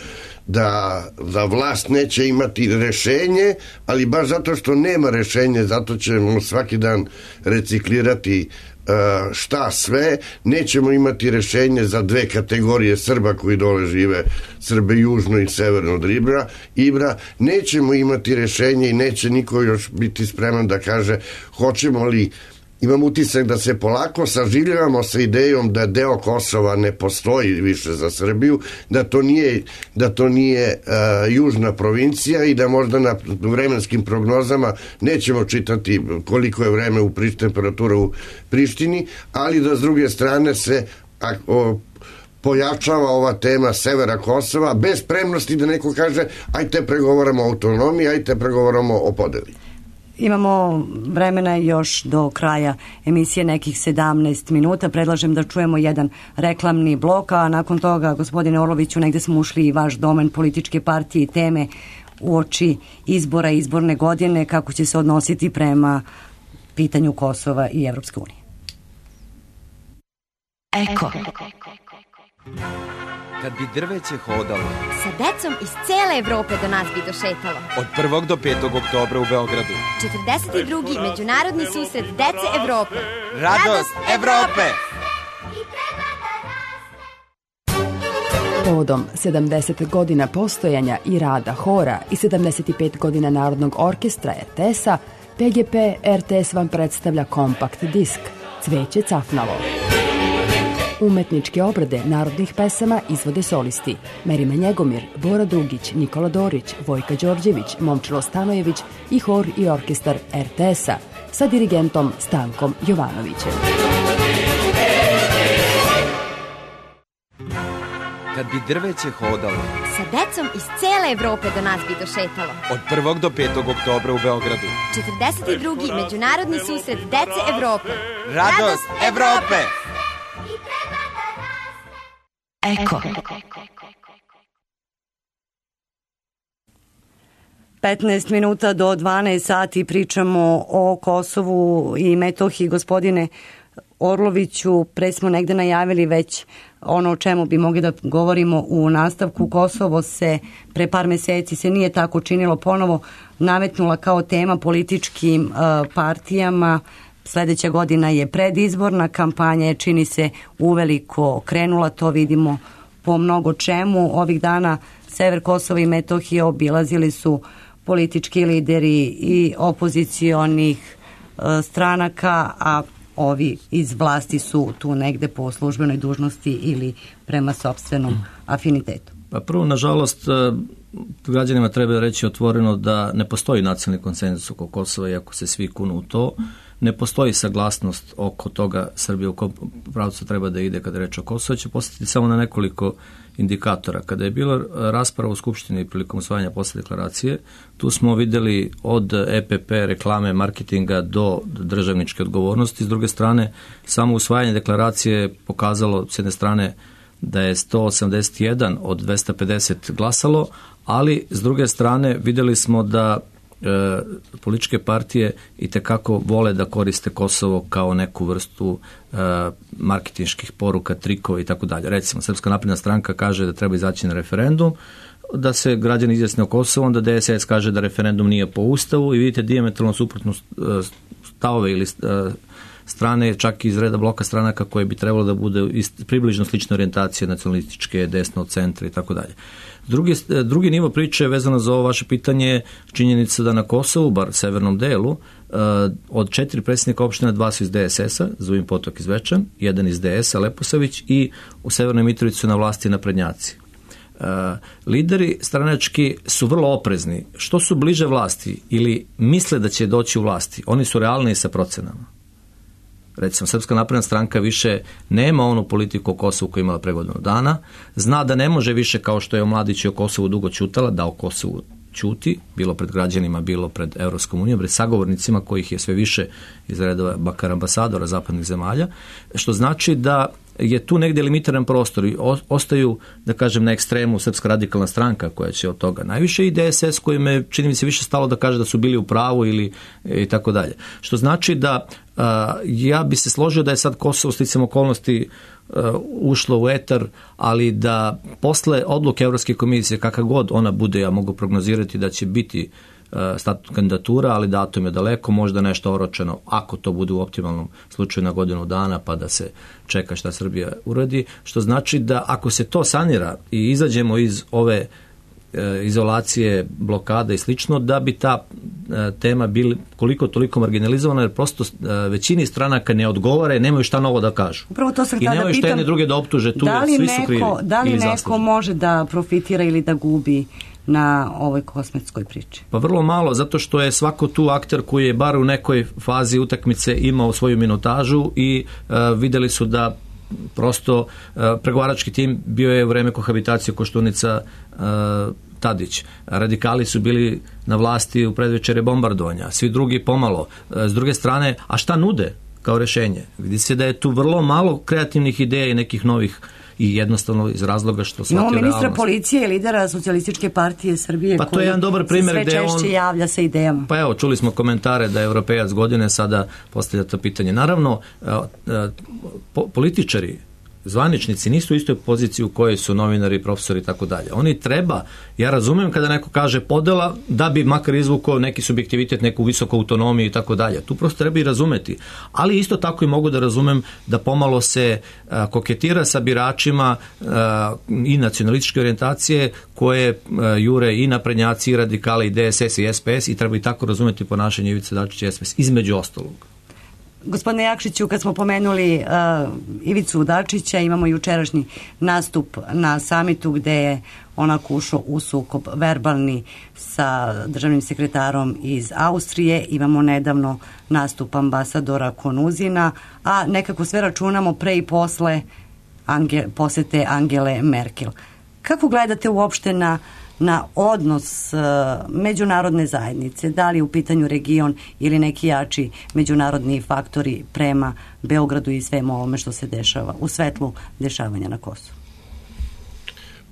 da, da vlast neće imati rešenje, ali baš zato što nema rešenje, zato ćemo svaki dan reciklirati uh, šta sve, nećemo imati rešenje za dve kategorije Srba koji dole žive, Srbe južno i severno od Ibra, Ibra, nećemo imati rešenje i neće niko još biti spreman da kaže hoćemo li. Imam utisak da se polako saživljavamo sa idejom da deo Kosova ne postoji više za Srbiju, da to nije, da to nije uh, južna provincija i da možda na vremenskim prognozama nećemo čitati koliko je vreme u priš, temperatura u Prištini, ali da s druge strane se a, o, pojačava ova tema severa Kosova bez spremnosti da neko kaže ajte pregovaramo o autonomiji, ajte pregovaramo o podeli. Imamo vremena još do kraja emisije, nekih sedamnaest minuta. Predlažem da čujemo jedan reklamni blok, a nakon toga, gospodine Orloviću, negde smo ušli i vaš domen političke partije i teme uoči izbora, izborne godine, kako će se odnositi prema pitanju Kosova i Evropske unije. Eko. Kad bi drveće hodalo, sa decom iz cele Evrope do nas bi došetalo. Od prvog do petog oktobra u Beogradu. četrdeset drugi međunarodni susret dece Evrope. Radost Evrope! Povodom sedamdeset godina postojanja i rada hora i sedamdeset pet godina Narodnog orkestra er te es-a, pe ge pe er te es vam predstavlja kompakt disk Cveće cafnalo. Umetničke obrade narodnih pesama izvode solisti Merima Njegomir, Bora Dugić, Nikola Dorić, Vojka Đorđević, Momčilo Stanojević i hor i orkestar er te es-a sa dirigentom Stankom Jovanovićem. Kad bi drveće hodalo, sa decom iz cele Evrope do nas bi došetalo. Od prvog do petog oktobra u Beogradu. četrdeset drugi međunarodni susret dece Evrope. Radost Evrope! Eko. petnaest minuta do dvanaest sati pričamo o Kosovu i Metohiji. Gospodine Orloviću, pre smo negde najavili već ono o čemu bi mogli da govorimo u nastavku. Kosovo se pre par meseci se nije tako činilo, ponovo nametnula kao tema političkim uh, partijama. Sledeća godina je predizborna kampanja, je čini se uveliko krenula, to vidimo po mnogo čemu. Ovih dana sever Kosova i Metohije obilazili su politički lideri i opozicionih uh, stranaka, a ovi iz vlasti su tu negde po službenoj dužnosti ili prema sopstvenom afinitetu. Pa prvo, nažalost, građanima treba reći otvoreno da ne postoji nacionalni konsenzus oko Kosova, iako se svi kunu u to. Ne postoji saglasnost oko toga Srbije u kom pravcu treba da ide kada reče o Kosovo. Će postaviti samo na nekoliko indikatora. Kada je bila rasprava u Skupštini prilikom usvajanja posle deklaracije, tu smo videli od e pe pe, reklame, marketinga do državničke odgovornosti. S druge strane, samo usvajanje deklaracije je pokazalo s jedne strane da je sto osamdeset jedan od dvesta pedeset glasalo, ali s druge strane videli smo da e, političke partije itekako vole da koriste Kosovo kao neku vrstu e, marketinških poruka, trikova i tako dalje. Recimo, Srpska napredna stranka kaže da treba izaći na referendum, da se građani izjasne o Kosovu, onda de es es kaže da referendum nije po ustavu i vidite dijametralno suprotno stavove ili strane, čak iz reda bloka stranaka koje bi trebalo da bude približno slične orijentacije nacionalističke, desno, centra i tako dalje. Drugi, drugi nivo priče vezano za ovo vaše pitanje je činjenica da na Kosovu, bar severnom delu, od četiri predsjednika opština, dva su iz de es es-a, Zubin Potok iz Zvečan, jedan iz de es-a, Leposavić, i u Severnoj Mitrovici su na vlasti naprednjaci. Uh, lideri stranački su vrlo oprezni. Što su bliže vlasti ili misle da će doći u vlasti, oni su realni sa procenama. Recimo, Srpska napredna stranka više nema onu politiku o Kosovu koju je imala pre godinu dana, zna da ne može više, kao što je o Mladiću o Kosovu dugo ćutala, da o Kosovu ćuti, bilo pred građanima, bilo pred Evropskom unijom, pred sagovornicima kojih je sve više iz redova bakar ambasadora zapadnih zemalja, što znači da je tu negdje limitiran prostor i ostaju, da kažem, na ekstremu Srpska radikalna stranka koja će od toga najviše i de es es kojim je, čini mi se, više stalo da kaže da su bili u pravu ili i tako dalje. Što znači da a, ja bi se složio da je sad Kosovo sticam okolnosti a, ušlo u etar, ali da posle odluke Evropske komisije, kakav god ona bude, ja mogu prognozirati da će biti statut kandidatura, ali datum je daleko, možda nešto oročeno, ako to bude u optimalnom slučaju na godinu dana, pa da se čeka šta Srbija uradi, što znači da ako se to sanira i izađemo iz ove e, izolacije, blokada i slično, da bi ta e, tema bili koliko toliko marginalizovana, jer prosto e, većini stranaka ne odgovore, nemaju šta novo da kažu. Upravo to sam I nemaju šta jedne druge da optuže, tu da svi neko, su krivi. Da li ili neko zasluženi. može da profitira ili da gubi na ovoj kosmetskoj priči? Pa vrlo malo, zato što je svako tu akter koji je bar u nekoj fazi utakmice imao svoju minutažu i uh, videli su da prosto uh, pregovarački tim bio je u vreme kohabitacije Koštunica uh, Tadić. Radikali su bili na vlasti u predvečere bombardovanja, svi drugi pomalo. S druge strane, a šta nude kao rešenje? Vidi se da je tu vrlo malo kreativnih ideja i nekih novih i jednostavno iz razloga što shvatio realnost. Imamo ministra policije i lidera Socijalističke partije Srbije pa to je jedan dobar primjer sve gde češće on, javlja sa idejama. Pa evo, čuli smo komentare da je Evropejac godine, sada postavlja to pitanje. Naravno, po, političari, zvaničnici nisu u istoj poziciji u kojoj su novinari, profesori i tako dalje. Oni treba, ja razumem kada neko kaže podela, da bi makar izvukao neki subjektivitet, neku visoku autonomiju i tako dalje. Tu prosto treba i razumeti. Ali isto tako i mogu da razumem da pomalo se a, koketira sa biračima a, i nacionalističke orijentacije koje a, jure i naprednjaci, i radikali, i D S S, i S P S i treba i tako razumeti ponašanje Ivice Dačića i S P S, između ostalog. Gospodine Jakšiću, kad smo pomenuli uh, Ivicu Dačića, imamo jučerašnji nastup na samitu gde je onako ušao u sukob verbalni sa državnim sekretarom iz Austrije. Imamo nedavno nastup ambasadora Konuzina, a nekako sve računamo pre i posle Ange, posete Angele Merkel. Kako gledate uopšte na na odnos uh, međunarodne zajednice, da li u pitanju region ili neki jači međunarodni faktori prema Beogradu i svemu ovome što se dešava u svetlu dešavanja na Kosovu?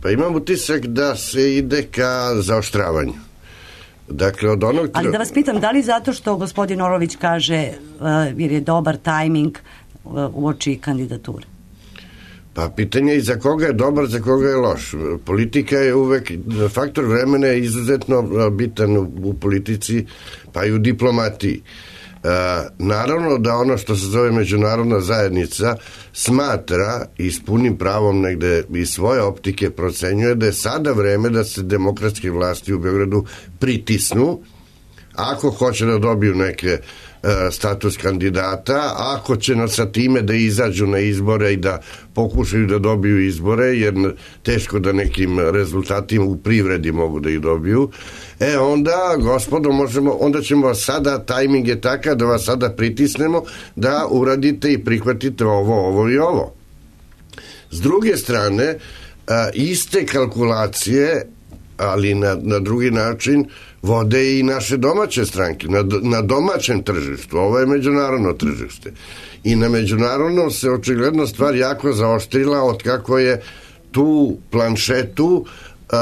Pa imam utisak da se ide ka zaoštravanju. Dakle, od onog... Ali da vas pitam, da li zato što gospodin Orlović kaže uh, jer je dobar tajming uh, uoči kandidature? Pa pitanje je za koga je dobar, za koga je loš. Politika je uvek, faktor vremena je izuzetno bitan u, u politici, pa i u diplomatiji. E, naravno da ono što se zove međunarodna zajednica smatra i s punim pravom negde iz svoje optike procenjuje da je sada vreme da se demokratske vlasti u Beogradu pritisnu ako hoće da dobiju neke status kandidata, ako će sa time da izađu na izbore i da pokušaju da dobiju izbore, jer teško da nekim rezultatima u privredi mogu da ih dobiju, e onda, gospodo, možemo, onda ćemo sada, tajming je takav da vas sada pritisnemo da uradite i prihvatite ovo, ovo i ovo. S druge strane, iste kalkulacije, ali na, na drugi način vode i naše domaće stranke na, na domaćem tržištu. Ovo je međunarodno tržište i na međunarodnom se očigledno stvar jako zaoštrila od kako je tu planšetu uh,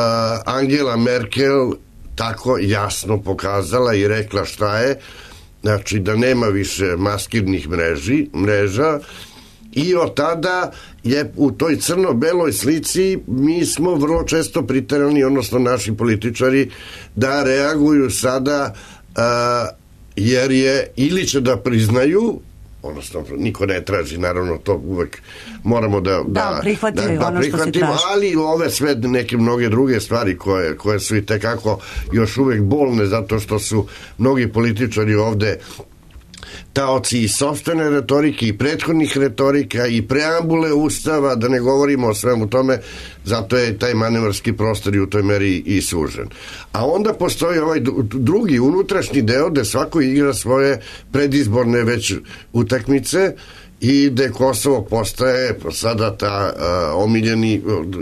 Angela Merkel tako jasno pokazala i rekla šta je, znači da nema više maskirnih mreži, mreža i od tada je u toj crno-beloj slici mi smo vrlo često priterani, odnosno naši političari, da reaguju sada uh, jer je ili će da priznaju, odnosno niko ne traži, naravno to uvek moramo da, da, da prihvatimo, da, da, ono što se traži. Ali ove sve neke mnoge druge stvari koje, koje su i tekako još uvek bolne zato što su mnogi političari ovde taoci i sopstvene retorike i prethodnih retorika i preambule ustava, da ne govorimo o svemu tome, zato je taj manevarski prostor i u toj meri i sužen. A onda postoji ovaj drugi unutrašnji deo gde svako igra svoje predizborne već utakmice i gde Kosovo postaje sada ta uh, omiljeni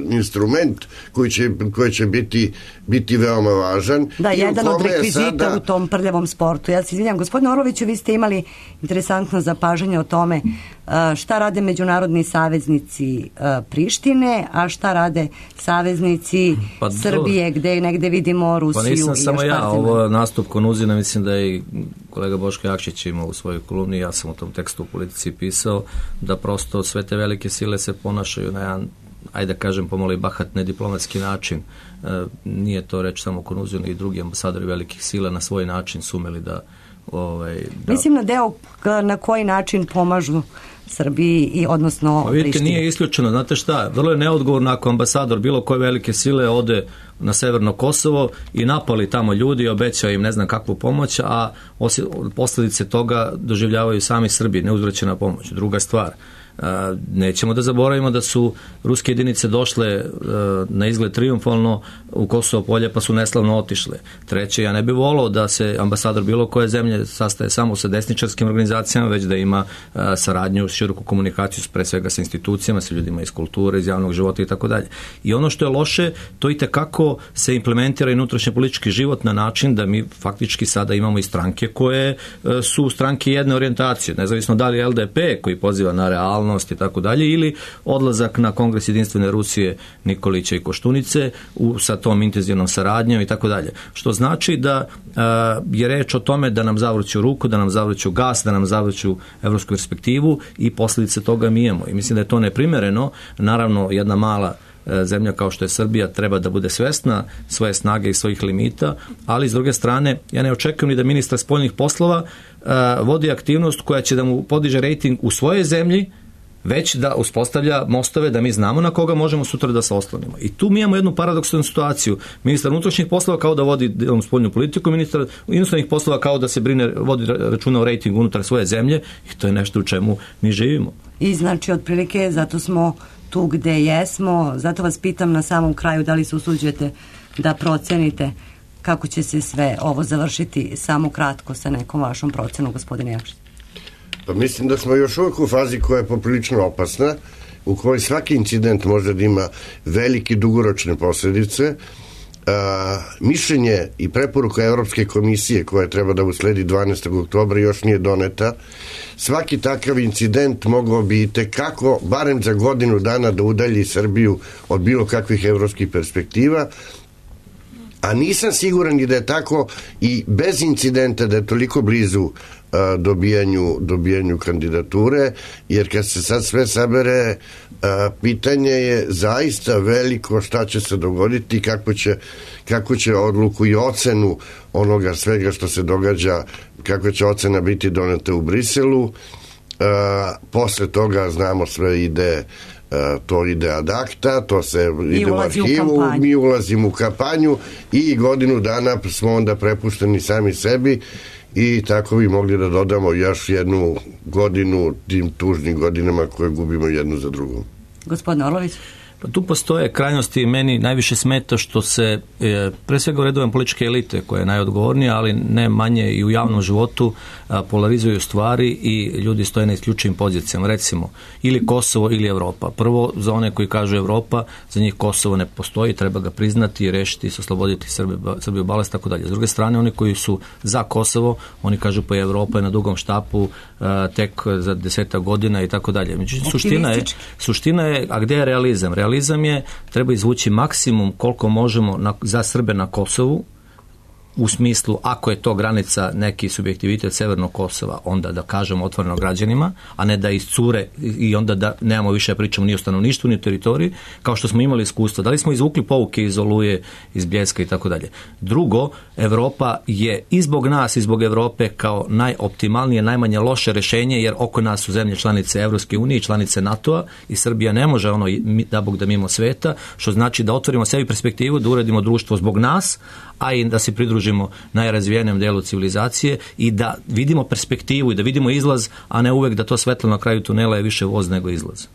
instrument koji će, koji će biti, biti veoma važan. Da, I jedan od rekvizita sada... u tom prljavom sportu. Ja se izvinjam, gospodine Orloviću, vi ste imali interesantno zapažanje o tome uh, šta rade međunarodni saveznici uh, Prištine, a šta rade saveznici pa Srbije, do... gde negde vidimo Rusiju. Pa nisam i samo ja, partizan. Ovo nastup Konuzina, mislim da je i kolega Boško Jakšić imao u svojoj kolumni, ja sam u tom tekstu u Politici pisao, da prosto sve te velike sile se ponašaju na jedan, ajde da kažem, pomalo i bahat nediplomatski način. E, nije to reč samo Konuzinu i drugi ambasadori velikih sila na svoj način sumeli da... Ovaj, da... Mislim na deo na koji način pomažu Srbiji i odnosno pa vidite, Prištini. Nije isključeno, znate šta, vrlo je neodgovorno ako ambasador bilo koje velike sile ode na severno Kosovo i napali tamo ljudi i obećao im ne znam kakvu pomoć, a posljedice toga doživljavaju sami Srbi, neuzvraćena pomoć. Druga stvar, Nećemo da zaboravimo da su ruske jedinice došle na izgled triumfalno u Kosovo polje pa su neslavno otišle. Treće, ja ne bih volao da se ambasador bilo koje zemlje sastaje samo sa desničarskim organizacijama, već da ima saradnju, široku komunikaciju pre svega sa institucijama, sa ljudima iz kulture, iz javnog života i tako dalje. I ono što je loše, to i tekako se implementira i unutrašnji politički život na način da mi faktički sada imamo i stranke koje su stranke jedne orijentacije, nezavisno da li je L D P koji poziva na realnost i tako dalje, ili odlazak na Kongres jedinstvene Rusije Nikolića i Koštunice u, sa tom intenzivnom saradnjom i tako dalje. Što znači da a, je reč o tome da nam zavrću ruku, da nam zavrću gas, da nam zavrću evropsku perspektivu i posljedice toga mi imamo. I mislim da je to neprimereno. Naravno, jedna mala zemlja kao što je Srbija treba da bude svesna svoje snage i svojih limita, ali s druge strane ja ne očekujem ni da ministar spoljnih poslova uh, vodi aktivnost koja će da mu podiže rejting u svojoj zemlji, već da uspostavlja mostove da mi znamo na koga možemo sutra da se oslonimo. I tu mi imamo jednu paradoksalnu situaciju. Ministar unutrašnjih poslova kao da vodi spoljnu politiku, ministar inostranih poslova kao da se brine, vodi računa o rejtingu unutar svoje zemlje i to je nešto u čemu mi živimo. I znači otprilike zato smo tu gde jesmo, zato vas pitam na samom kraju da li se usuđujete da procenite kako će se sve ovo završiti samo kratko sa nekom vašom procenom, gospodine Jakšić. Pa mislim da smo još uvijek u fazi koja je poprilično opasna, u kojoj svaki incident može da ima velike dugoročne posljedice. A, mišljenje i preporuka Evropske komisije koja treba da usledi dvanaestog oktobra još nije doneta. Svaki takav incident mogao bi tekako, barem za godinu dana, da udalji Srbiju od bilo kakvih evropskih perspektiva, a nisam siguran i da je tako i bez incidenta da je toliko blizu a, dobijanju, dobijanju kandidature, jer kad se sad sve sabere, a, pitanje je zaista veliko šta će se dogoditi, kako će, kako će odluku i ocenu onoga svega što se događa, kako će ocena biti doneta u Briselu. A, posle toga znamo sve ide to ide ad acta, to se ide u arhivu, u mi ulazimo u kampanju i godinu dana smo onda prepušteni sami sebi i tako bi mogli da dodamo još jednu godinu tim tužnim godinama koje gubimo jednu za drugom. Gospodin Orlović? Pa tu postoje krajnosti i meni najviše smeta što se e, pre svega u redovima političke elite koja je najodgovornija, ali ne manje i u javnom životu a, polarizuju stvari i ljudi stoje na isključivim pozicijama, recimo ili Kosovo ili Evropa. Prvo, za one koji kažu Evropa, za njih Kosovo ne postoji, treba ga priznati i rešiti, osloboditi Srbiju balast, tako dalje. S druge strane, oni koji su za Kosovo, oni kažu pa Evropa je na dugom štapu a, tek za desetak godina i tako dalje. Međutim, suština je, suština je, a gde je realizam? Realizam Realizam je, treba izvući maksimum koliko možemo na, za Srbe na Kosovu, u smislu, ako je to granica neki subjektivitet Severnog Kosova, onda da kažemo otvoreno građanima, a ne da iscure i onda da nemamo više pričamo ni o stanovništvu, ni o teritoriji, kao što smo imali iskustva. Da li smo izvukli pouke iz Oluje, iz Bljeska i tako dalje. Drugo, Evropa je i zbog nas i zbog Evrope kao najoptimalnije, najmanje loše rešenje, jer oko nas su zemlje članice Evropske unije i članice NATO-a i Srbija ne može ono da Bog da mimo sveta, što znači da otvorimo sebi perspektivu, da uredimo društvo zbog nas, a i da se pridružimo najrazvijenijem delu civilizacije i da vidimo perspektivu i da vidimo izlaz, a ne uvek da to svetlo na kraju tunela je više voz nego izlaz.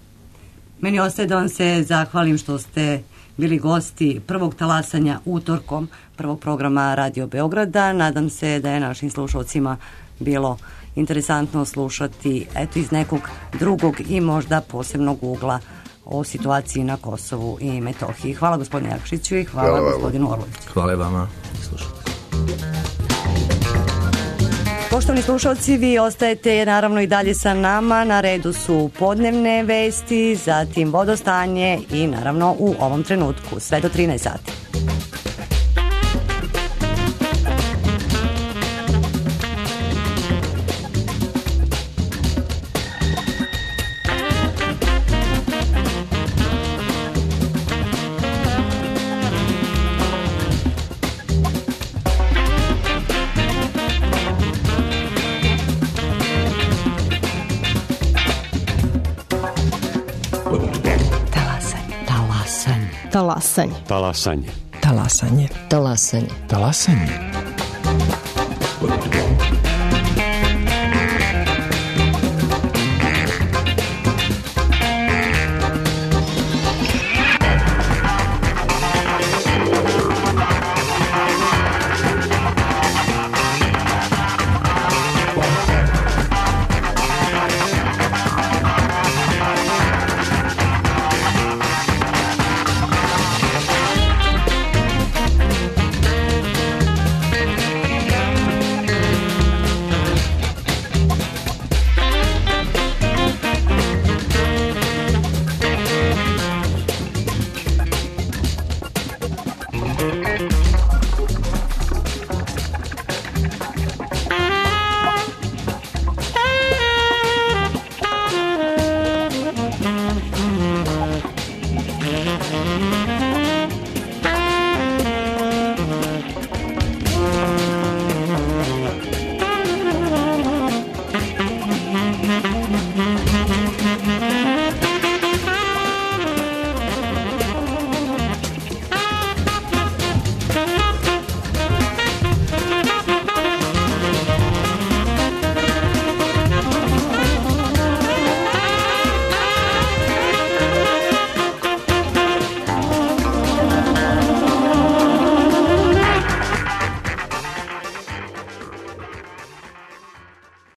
Meni ostaje da vam se zahvalim što ste bili gosti prvog talasanja utorkom prvog programa Radio Beograda. Nadam se da je našim slušalcima bilo interesantno slušati eto iz nekog drugog i možda posebnog ugla o situaciji na Kosovu i Metohiji. Hvala gospodinu Jakšiću i hvala, hvala gospodinu Orloviću. Hvala vama. Slušajte. Poštovani slušalci, vi ostajete naravno i dalje sa nama. Na redu su podnevne vesti, zatim vodostanje i naravno u ovom trenutku sve do trinaest sati. Talasanje. Talasanje. Talasanje. Talasanje. Talasanje. Talasanje.